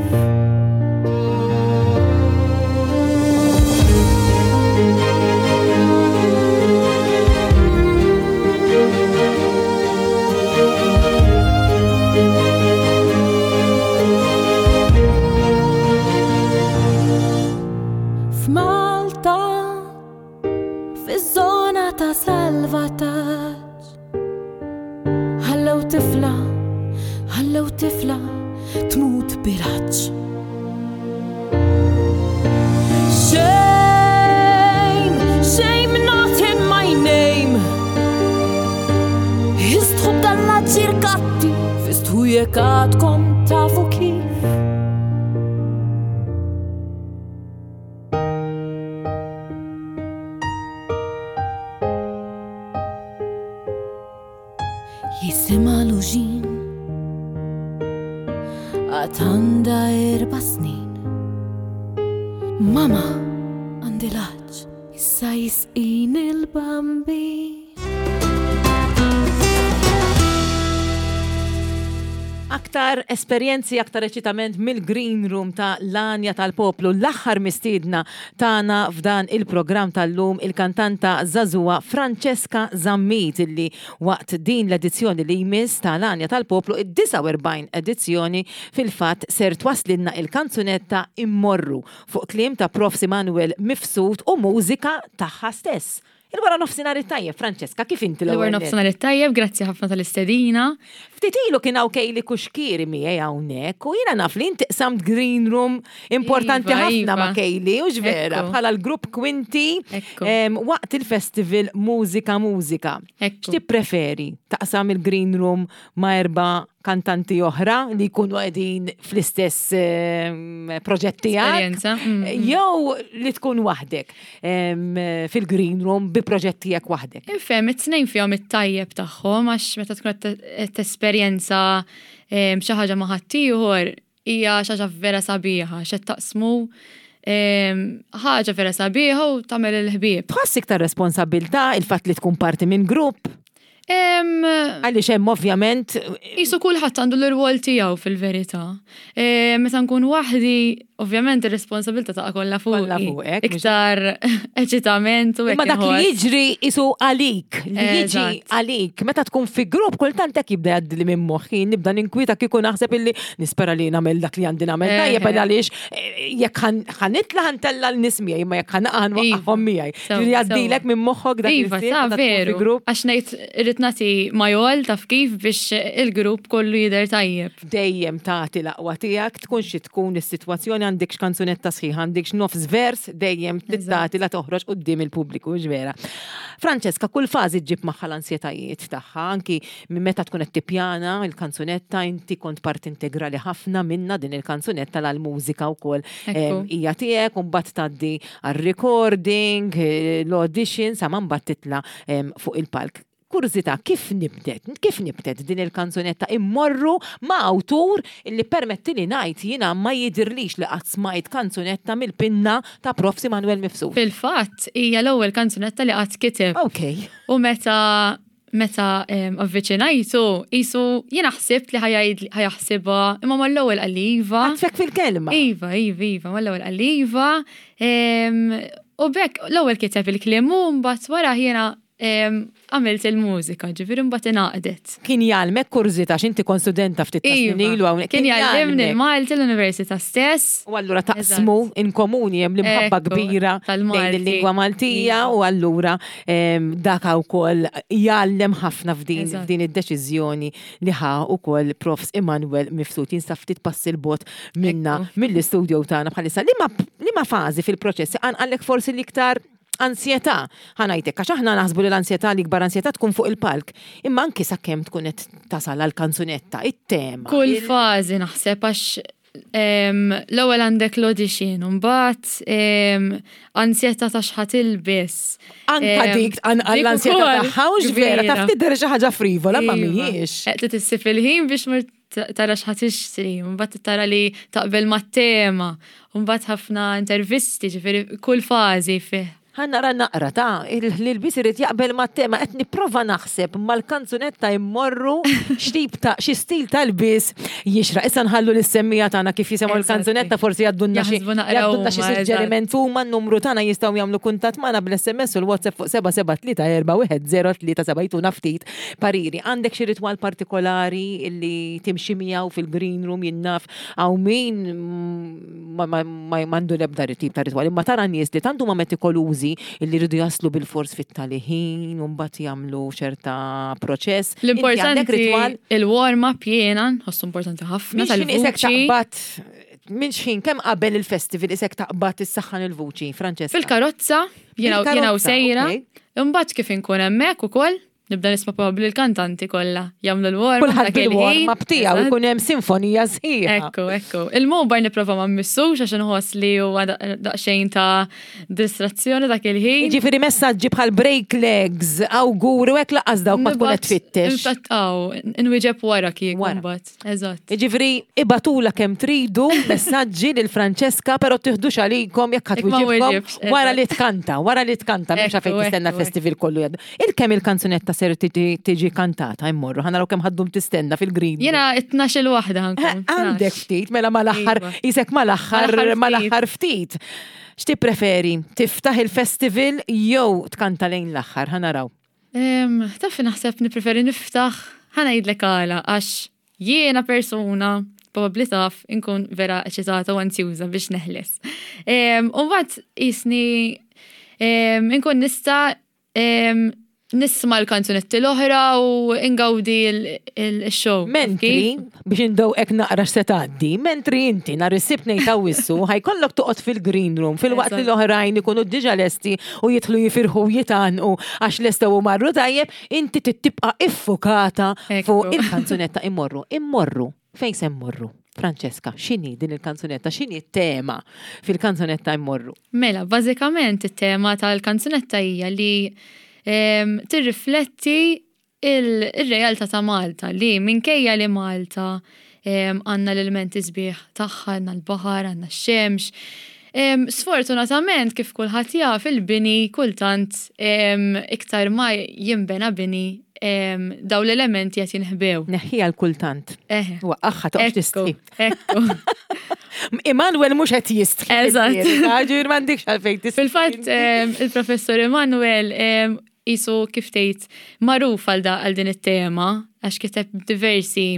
F'Malta, fiż-żona ta' salvataġġ, ħallew tifla, ħallew tifla tmut bil-għatx. Shame, shame not in my name. Istħu b'dan l-aġir kattiv, istħu jekk għadkom tafu kif. Jisimha Luġin Għad għandha erba' snin Mama għandi l-għatx Issa jisqini l-Bambin Aktar esperjenzi, aktar eċitament mill-Green Room ta' l-Għanja tal-Poplu. L-aħħar mistiedna tagħna f'dan il-programm tal-lum il-kantanta żagħżugħa Francesca Zammit illi waqt din l-edizzjoni li jmiss ta' l-Għanja tal-Poplu, id-49 edizzjoni fil-fatt ser twasslilna il-kanzunetta Immorru fuq kliem ta' Profs Immanuel Mifsud u mużika tagħha stess. Il-wara nofsinhar it-tajjeb, Francesca, kif inti l-ewwel? Il-wara nofsinhar it-tajjeb, grazzi ħafna tal-istedina. Ftit ilu kien hawn Kejli Kuxkieri miegħi hawnhekk u jiena naf li inti qsamt green room importanti Iva, ħafna iva. ma' Kejli, u vera, Ekku. bħala l-grupp Quinti Ekku. waqt il-festival Mużika Mużika. Ekku. X'tippreferi? Taqsam il-green room ma' erba' kantanti oħra li jkunu qegħdin fl-istess proġett tiegħek? Esperjenza, Jew li tkun waħdek fil-green room bi proġett tiegħek waħdek? Infhem, it-tnejn fihom it-tajjeb tagħhom għax meta tkun qed tesperjenza xi ħaġa ma' ħaddieħor hija xi ħaġa vera sabiħa, x'qed taqsmu ħaġa vera sabiħa u tagħmel il-ħbieb. Tħoss iktar responsabilità il-fatt li tkun parti minn grupp? Għaliex hemm ovvjament Jisu kulħadd għandu l-irwol tiegħu fil-verità. Meta nkun waħdi, ovvjament ir-responsabilità taqa' kollha fuqi. Kollha fuqek, mhux- Iktar eċitament u hekk Imma dak li inħoss. jiġri isu għalik, li jiġi Eżatt. għalik. Meta tkun fi grupp, kultant hekk jibda jgħaddili minn moħħi, nibda ninkwieta kieku naħseb illi nispera li nagħmel dak li għandi nagħmel Eħe. tajjeb għaliex jekk ħanitla ħantella l-nies miegħi, imma jekk ħanaqa ħanwaqqafhom miegħi. Sewa, Ġifieri jgħaddilek sewa. minn moħħok dak Iva, il-ħsieb ta' meta tkun fi veru. grupp. Għax ngħid irrid nagħti majol taf kif biex il-grupp kollu jidher tajjeb. Dejjem tagħti l-aqwa tiegħek, tkun xi tkun is-sitwazzjoni għandek x'kanzunetta sħiħa, għandek x'nofs vers, dejjem tagħti la toħroġ quddiem il-pubbliku, mhux vera. Francesca, kull fażi ġġib magħha l-ansjetajiet tagħha, anki minn meta tkun qed tippjana il-kanzunetta, inti kont parti integrali ħafna minna din il-kanzunetta l-mużika wkoll Ekku. hija tiegħek, u mbagħad tgħaddi għar-recording, l-audition, sa ma mbagħad titla' fuq il-palk. Kurżità, kif nibdet? Kif nibdet din il-kanzunetta immorru ma' awtur li permetti li ngħid jiena ma jidirlix li qatt smajt kanzunetta mill-pinna ta' Prof. Manuel Mifsud. Fil-fatt hija l-ewwel kanzunetta li qatt kiteb. Ok. U meta avviċinajtu, jisu jiena ħsibt li ħajaħsibha, imma mal-ewwel qalli iva. Għatfek fil-kelma. Iva, iva, iva, mal-ewwel qalli iva. U bekk l-ewwel kiteb il-kliem u mbagħad wara jiena għamilt il-mużika, ġifieri mbagħad ingħaqdet. Kien jgħallmek kurżità x'inti kont studenta ftit ta' snin ilu hawnhekk. Kien jgħallimni jgħallmek. l-Malti l-Università stess. U allura taqsmu in komuni hemm l-imħabba Ekku, kbira lejn tal-Malti. il-lingwa Maltija Iva. u allura dak wkoll jgħallem ħafna Eżatt. f'din id-deċiżjoni li ħa wkoll Profs Emanuel Mifsud jinsab ftit passi l-bot minna Ekku. mill-istudio tagħna bħalissa. Liema fażi fil-proċess għanqallek forsi l-iktar ansjetà, ħanajtek, għax aħna naħsbu li l-ansjetà, l-ikbar ansjetà tkun fuq il-palk, imma anki sakemm tkun qed tasal għall-kanzunetta, it-tema. Kull fażi naħseb għax l-ewwel għandek l-audition, u mbagħad ansjetà ta' x'ħa tilbes. Anka dik Dik l-ansjetà ukoll tagħha u vera, kbira. taf tidher xi ħaġa frivola, ma Iva. mhijiex. Qed tissib il-ħin biex mur tara x'ħa tixtri, u mbagħad tara li taqbel mat-tema, u mbagħad ħafna intervisti, ġifieri kull fażi fih. Ħa nara naqra ta' l-ilbis irid jaqbel mat-tema, qed nipprova naħseb mal-kanzunetta jmorru x'tip ta' xi stil tal-bis jixra. Issa nħallu lis-semmija tagħna kif jisimgħu Eżatti. l-kanzunetta forsi jgħaddulna xi Jaħsbu naqra jgħaddulna xi huma, eżatt. suġġeriment huma n-numru tagħna jistgħu jagħmlu kuntatt magħna bl-SMS u l-WhatsApp fuq 7734103 jtuna ftit pariri. Għandek xi ritwal partikolari li timxi miegħu fil-green room jinnaf hawn min m'għandu l-ebda tip ta' ritwal, imma tara nies li tant huma metikolużi illi jridu jaslu bil-fors fit-tali ħin u mbagħad jagħmlu ċerta proċess. Inti għandek L-importanti ritwal il-warm-up jiena nħossu importanti ħafna Minn x'ħin isek tal-vuċi. taqbad minn x'ħin kemm qabel il-festival isek taqbad issaħħan il-vuċi, Francesca? Fil-karozza, jiena jiena u Fil-karozza, sejra. ok. Imbagħad kif inkun hemmhekk ukoll, nibda nisma' probabbli l-kantanti kollha jagħmlu l-warm-up. Kulħadd dak il-ħin. bil-warm-up tiegħu Eżatt. ikun hemm sinfonija sħiħa. Ekku, ekku. Il-mobile nipprova ma mmissux għax inħoss li huwa daqsxejn ta' distrazzjoni dak il-ħin. Jiġifieri messaġġi bħal break legs, awguri u hekk laqas dawk ma tkun qed tfittex. Infatti, aw, inwieġeb wara kieku Wara. mbagħad. Eżatt. Jiġifieri ibatula kemm tridu messaġġi lil Francesca, però tiħdux għalikom jekk ħadd Jekk ma wieġibkom weġibx, wara eżatt. li tkanta, wara li tkanta, m'hemmx Ekku, fejn tistenna ekku, l-festival kollu jgħaddu. Il-kemm il-kanzunetta ser tiġi kantata immorru, ħa naraw kemm ħaddum tistenna fil-green. Jiena 12 waħda ħankun. Għandek ftit, mela mal-aħħar, Iva. isek mal-aħħar, Mal-aħħar mal-aħħar ftit. X'tippreferi? Tiftaħ il-festival jew tkanta lejn l-aħħar, ħa naraw. Taf naħseb nippreferi niftaħ, ħa ngħidlek għala għax jiena persuna probabbli taf inkun vera eċitata u anzjuża biex neħles. U mbagħad jisni inkun nista' nisma' l-kanzunetti l-oħra u ingawdi l-show. Mentri, biex indewqek naqra x'se tgħaddi, mentri inti nhar is-Sibt ngħid Awwissu ħajkollok toqgħod fil-green room filwaqt li l-oħrajn ikunu diġà lesti u jidħlu jifirħu u jitgħannqu għax lestew u marru tajjeb, inti trid tibqa' iffukata fuq il-kanzunetta Immorru. Immorru. Fejn se mmorru? Francesca, x'inhi din il-kanzunetta? X'inhi t-tema fil-kanzunetta Immorru? Mela, bażikament it-tema tal-kanzunetta hija li ehm, tirrifletti il-realtà ta' Malta li minkejja li Malta ehm, għandna l-elementi sbieħ tagħha, għandna l-baħar, għandna x-xemx. Ehm, sfortunatament kif kulħadd jaf il-bini kultant iktar ma jinbena bini daw l-elementi qed jinħbew. Neħħiha l-kultant. Waqqaħħa toqgħodx tistħi. Ekku. Emanuel mhux qed jistħi. Eżatt. Ġifieri m'għandikx għalfejn tistħi. Fil-fatt il-professur Emanuel qisu kif tgħid magħruf għal din it-tema għax kiteb diversi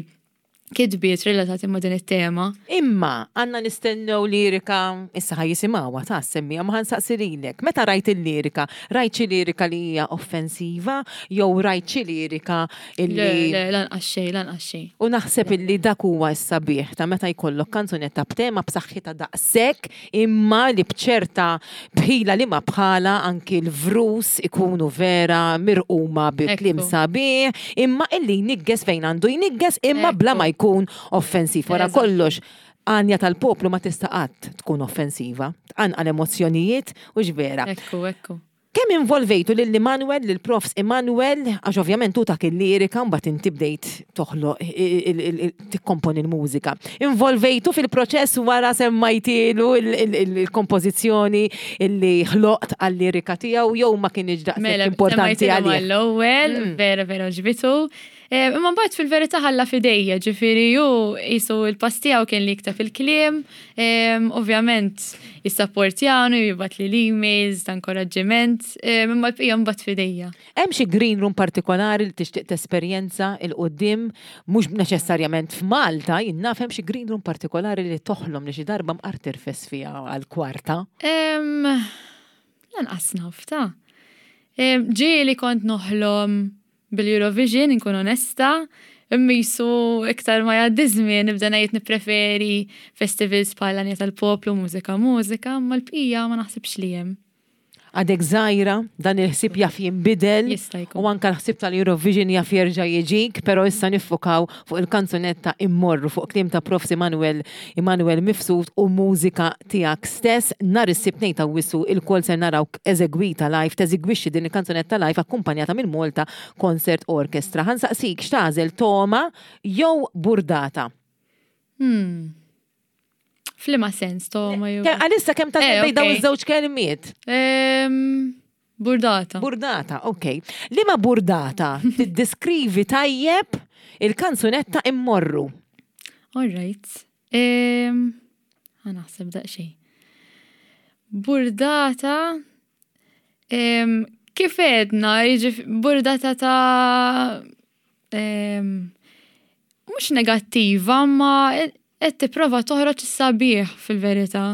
kitbiet relatati ma' din it-tema. Imma għandna nistennew lirika, issa ħa jisimgħuha ta' semmija, ma ħansaqsi lilek. Meta rajt il-lirika, rajt xi lirika li hija offensiva jew rajt xi lirika illi. Le, le, lanqas xejn, lanqas xejn. U naħseb illi dak huwa s-sabiħ ta' meta jkollok kanzunetta b'tema b'saħħitha daqshekk imma li b'ċerta bħila li ma bħala anki l-vrus ikunu vera mirquma bi kliem sabiħ, imma illi jnigges fejn għandu jnigges imma bla ma jkun offensiv. Wara kollox, għanja tal-poplu ma tista' qatt tkun offensiva, tqanqal emozzjonijiet u vera. Ekku, ekku. Kemm involvejtu lil Immanuel, lil Profs Immanuel, għax ovvjament hu tak il-lirika mbagħad inti bdejt toħloq tikkomponi l-mużika. Involvejtu fil-proċess wara semmajtielu il-kompożizzjoni illi ħloqt għal-lirika tiegħu jew ma kienx daqshekk Mela, importanti semmajtilu għalih? mal-ewwel, vera vera ġbitu. Eh, imma mbagħad fil-verità ħalla f'idejja, ġifieri hu qisu l-pass tiegħu kien li jikteb il-kliem, ehm, ovvjament jissapportjani, jibgħatli l-emails ta' inkoraġġiment, ehm, imma l-bqija mbagħad f'idejja. Hemm xi green room partikolari li tixtieq tesperjenza 'l quddiem, mhux neċessarjament f'Malta, jien naf hemm xi green room partikolari li toħlom li xi darba mqar tirfes fiha għal kwarta? Ehm, lanqas naf ta'. Ġieli kont noħlom Bil-Eurovision, inkun onesta, imma jisu iktar ma jgħaddi żmien nibda ngħid nippreferi festivals bħal Għanja tal-Poplu, Mużika Mużika, imma l-bqija ma naħsibx li hemm. Għadek żgħira, dan il-ħsieb jaf jinbidel. Jista' jkun. U anke l-ħsieb tal-Eurovision jaf jerġa' jiġik, però issa niffukaw fuq il-kanzunetta Immorru fuq kliem ta' Profs Immanuel Immanuel Mifsud u mużika tiegħek stess. Nhar is-Sibt 2 t'Awwissu ilkoll ser narawk eżegwita live, teżigwixxi din il-kanzunetta live akkumpanjata minn Malta Concert Orchestra. Ħa nsaqsik x'tagħżel togħma jew burdata? Hmm. F'liema sens togħma jew? Għalissa kemm tagħżel eh, bejn dawn iż-żewġ kelmiet? Ehm, burdata. Burdata, ok. Liema burdata tiddeskrivi tajjeb il-kanzunetta Immorru? All right. Ħa naħseb daqsxejn. Burdata kif għedna, burdata ta' mhux negattiva, ma qed tipprova toħroġ is-sabiħ fil-verità.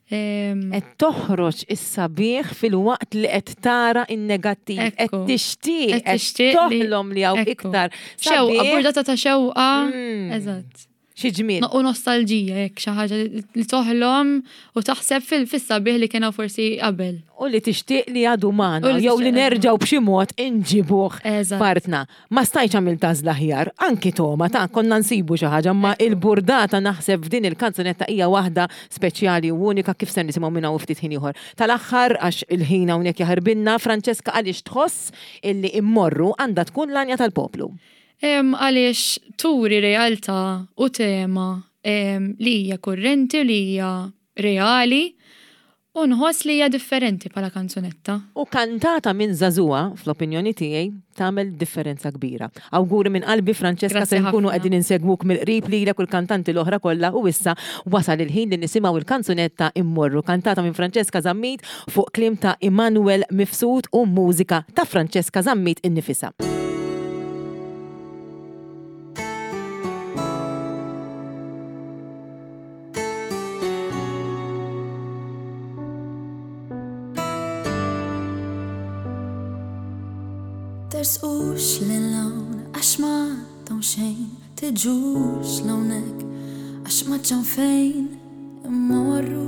Qed toħroġ is-sabiħ filwaqt li qed tara n-negattiv. Qed tixtieq, qed toħlom li hawn iktar. Xewqa, burdata ta' xewqa. Mm. Eżatt. Xi ġmiel. U nostalġija jekk xi ħaġa li toħlom u taħseb fis-sabiħ li kien forsi qabel. U li tixtieq li għadu magħna jew li nerġgħu b'xi mod inġibuh partna. Ma stajtx għamilt għażla aħjar, anki togħma ta' konna nsibu xi ħaġa, imma il-burdata naħseb f'din il-kanzunetta hija waħda speċjali u unika kif ser nisimgħu minn hawn ftit ħin ieħor. Tal-aħħar, għax il-ħin hawnhekk jaħirbilna, Francesca għaliex tħoss illi Immorru għandha tkun l-għanja tal-poplu? Għaliex turi realtà u tema li hija kurrenti u li hija reali U nħoss li hija differenti bħala kanzunetta. U kantata minn żagħżugħa, fl-opinjoni tiegħi, tagħmel differenza kbira. Awguri minn qalbi Francesca Grazzi se nkunu ħafna. qegħdin insegwuk mill-qrib lilek u l-kantanti l-oħra kollha u issa wasal il-ħin li nisimgħu l-kanzunetta Immorru kantata minn Francesca Zammit fuq kliem ta' Immanuel Mifsud u mużika ta' Francesca Zammit innifisha. Tersqux lil hawn għax m'għadhom xejn, tiġux l'hawnhekk għax m'għadx hawn fejn immorru.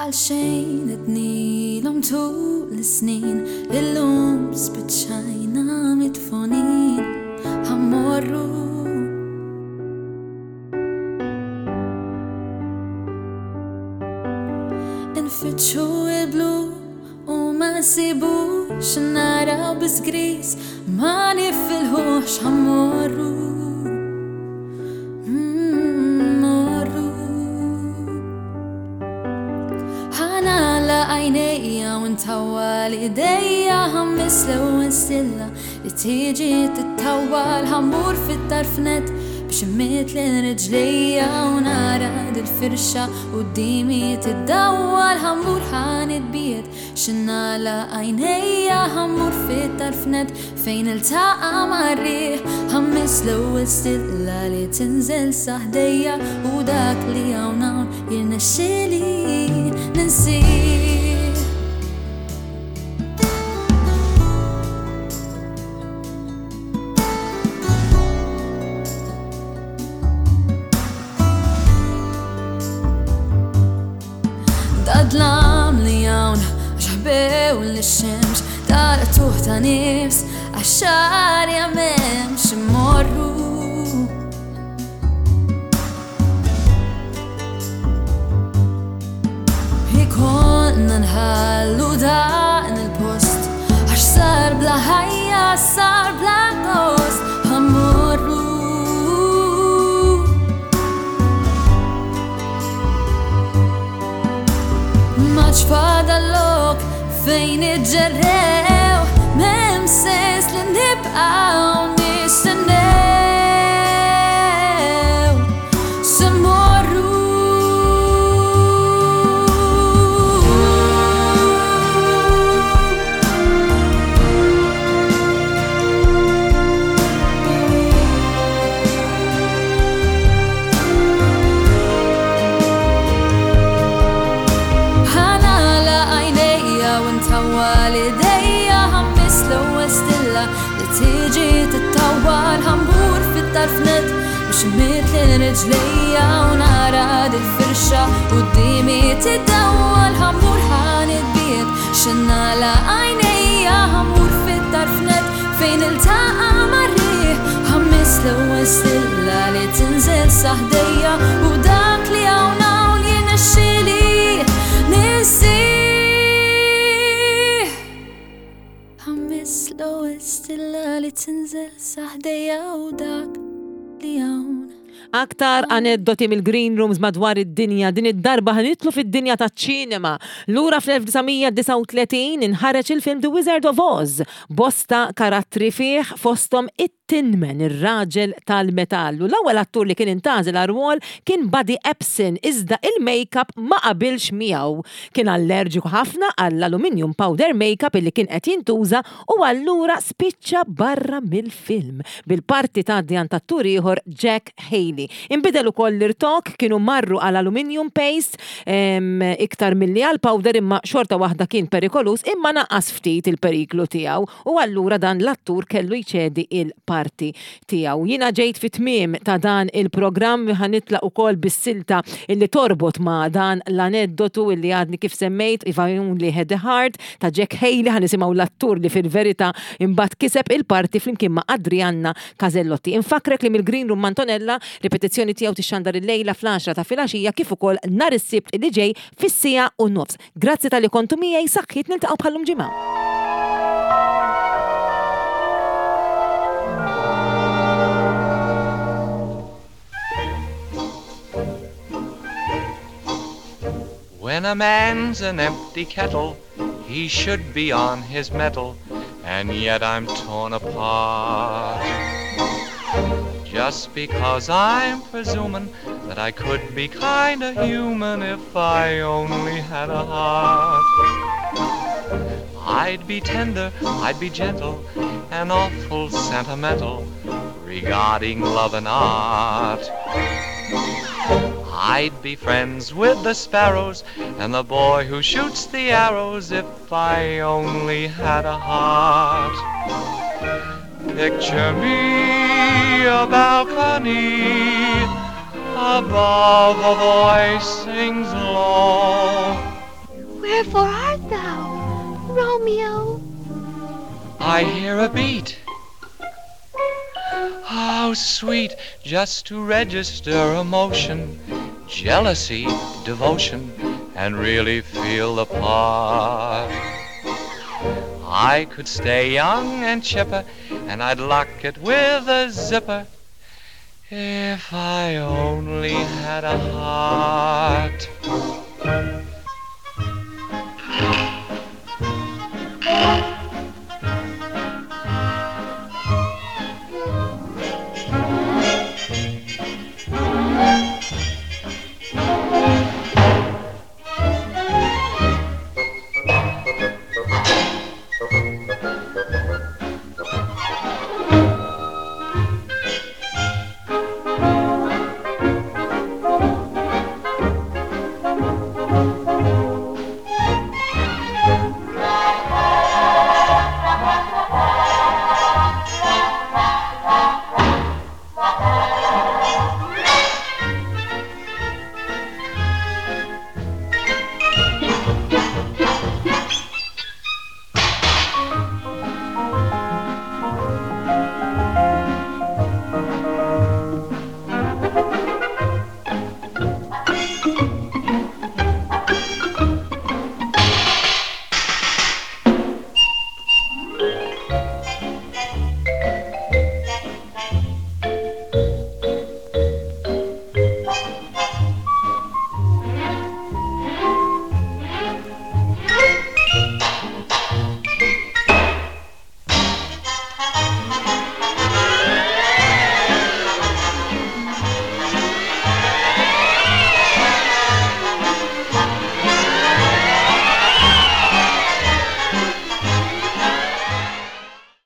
Għalxejn għednilhom tul is-snin, illum spiċċajna midfunin, ħa mmorru. Infittxu il-blu u ma nsibux, naraw biss gris, ma nifilħux, ħa mmorru. Mmorru. Ħa nagħlaq għajnejja u ntawwal idejja, ħammis l-ewwel stilla Li tiġi tittawwal ħa mmur fit-tarf nett biex immidd lil riġlejja u nara dil-firxa quddiemi tiddawwal ħa mmur ħa nitbiegħed xi nagħlaq għajnejja ħa mmur fit-tarf nett fejn niltaqa' mar-riħ ħa mmiss l-ewwel stilla li tinżel sa ħdejja u dak li hawn hawn jirnexxieli ninsih. Dad-dlam li hawn għax ħbew lix-xemx, dal-qtugħ ta' nifs għax arja m'hemmx immorru. Ikollna nħallu dan il-post għax sar bla ħajja, sar bla gost, ħa mmorru. M'għadx fadal lok fejn iġġerrew, m'hemm sens li nibqgħu nistennew. Se mmorru. Ħa nagħlaq għajnejja u ntawwal idejja, ħa mmiss l-ewwel stilla li tiġi tittawwal, ħa mmur fit-tarf nett biex immidd lil riġlejja u nara dil-firxa quddiemi tiddawwal, ħa mmur ħa nitbiegħed xi nagħlaq għajnejja, ħa mmur fit-tarf nett fejn niltaqa' mar-riħ, ħa mmiss l-ewwel stilla li tinżel sa ħdejja u dak li hawn hawn jirnexxieli ninsih. Ħa mmiss l-ewwel stilla li tinżel sa ħdejja u dak li hawn. Aktar aneddoti mill-green rooms madwar id-dinja, din id-darba ħa nidħlu fid-dinja taċ-ċinema. Lura fl-1939 inħareġ il-film The Wizard of Oz. Bosta karattri fih fosthom it-Tin Man, ir-raġel tal-metall. U l-ewwel attur li kien intgħażel għar-rwol kien Buddy Ebsen iżda il-makeup ma qabilx miegħu. Kien allerġiku ħafna għall-aluminium powder makeup illi kien qed jintuża u allura spiċċa barra mill-film, bil-parti tgħaddi għand attur ieħor Jack Haley. Inbidel ukoll l-irtokk, kienu marru għal aluminium paste iktar milli għal powder imma xorta waħda kien perikoluż imma naqqas ftit il-periklu tiegħu u allura dan l-attur kellu jċedi il-parti tiegħu. Jiena ġejt fi tmiem ta' dan il-programm ħa nitlaq ukoll bis-silta illi torbot ma' dan l-aneddotu illi għadni kif semmejt If I Only Had a Heart ta' Jack Haley ħa nisimgħu l-attur li fil-verità imbagħad kiseb il-parti flimkien ma' Adrianna Casellotti. Infakkrek li mill-Green Room m'Antonella, ripetizzjoni tiegħu tixxandar illejla fl-għaxra ta' filgħaxija kif ukoll nhar is-Sibt li ġej fis-siegħa u nofs. Grazzi talli kontu miegħi, saħħiet niltaqgħu bħal-lum ġimgħa. When a man's an empty kettle, he should be on his mettle, and yet I'm torn apart. Just because I'm presuming that I could be kinda human if I only had a heart. I'd be tender, I'd be gentle, and awful sentimental regarding love and art. I'd be friends with the sparrows and the boy who shoots the arrows if I only had a heart. Picture me a balcony above a voice sings low. Wherefore art thou, Romeo? I hear a beat. How sweet just to register emotion, jealousy, devotion, and really feel the part. I could stay young and chipper, and I'd lock it with a zipper if I only had a heart.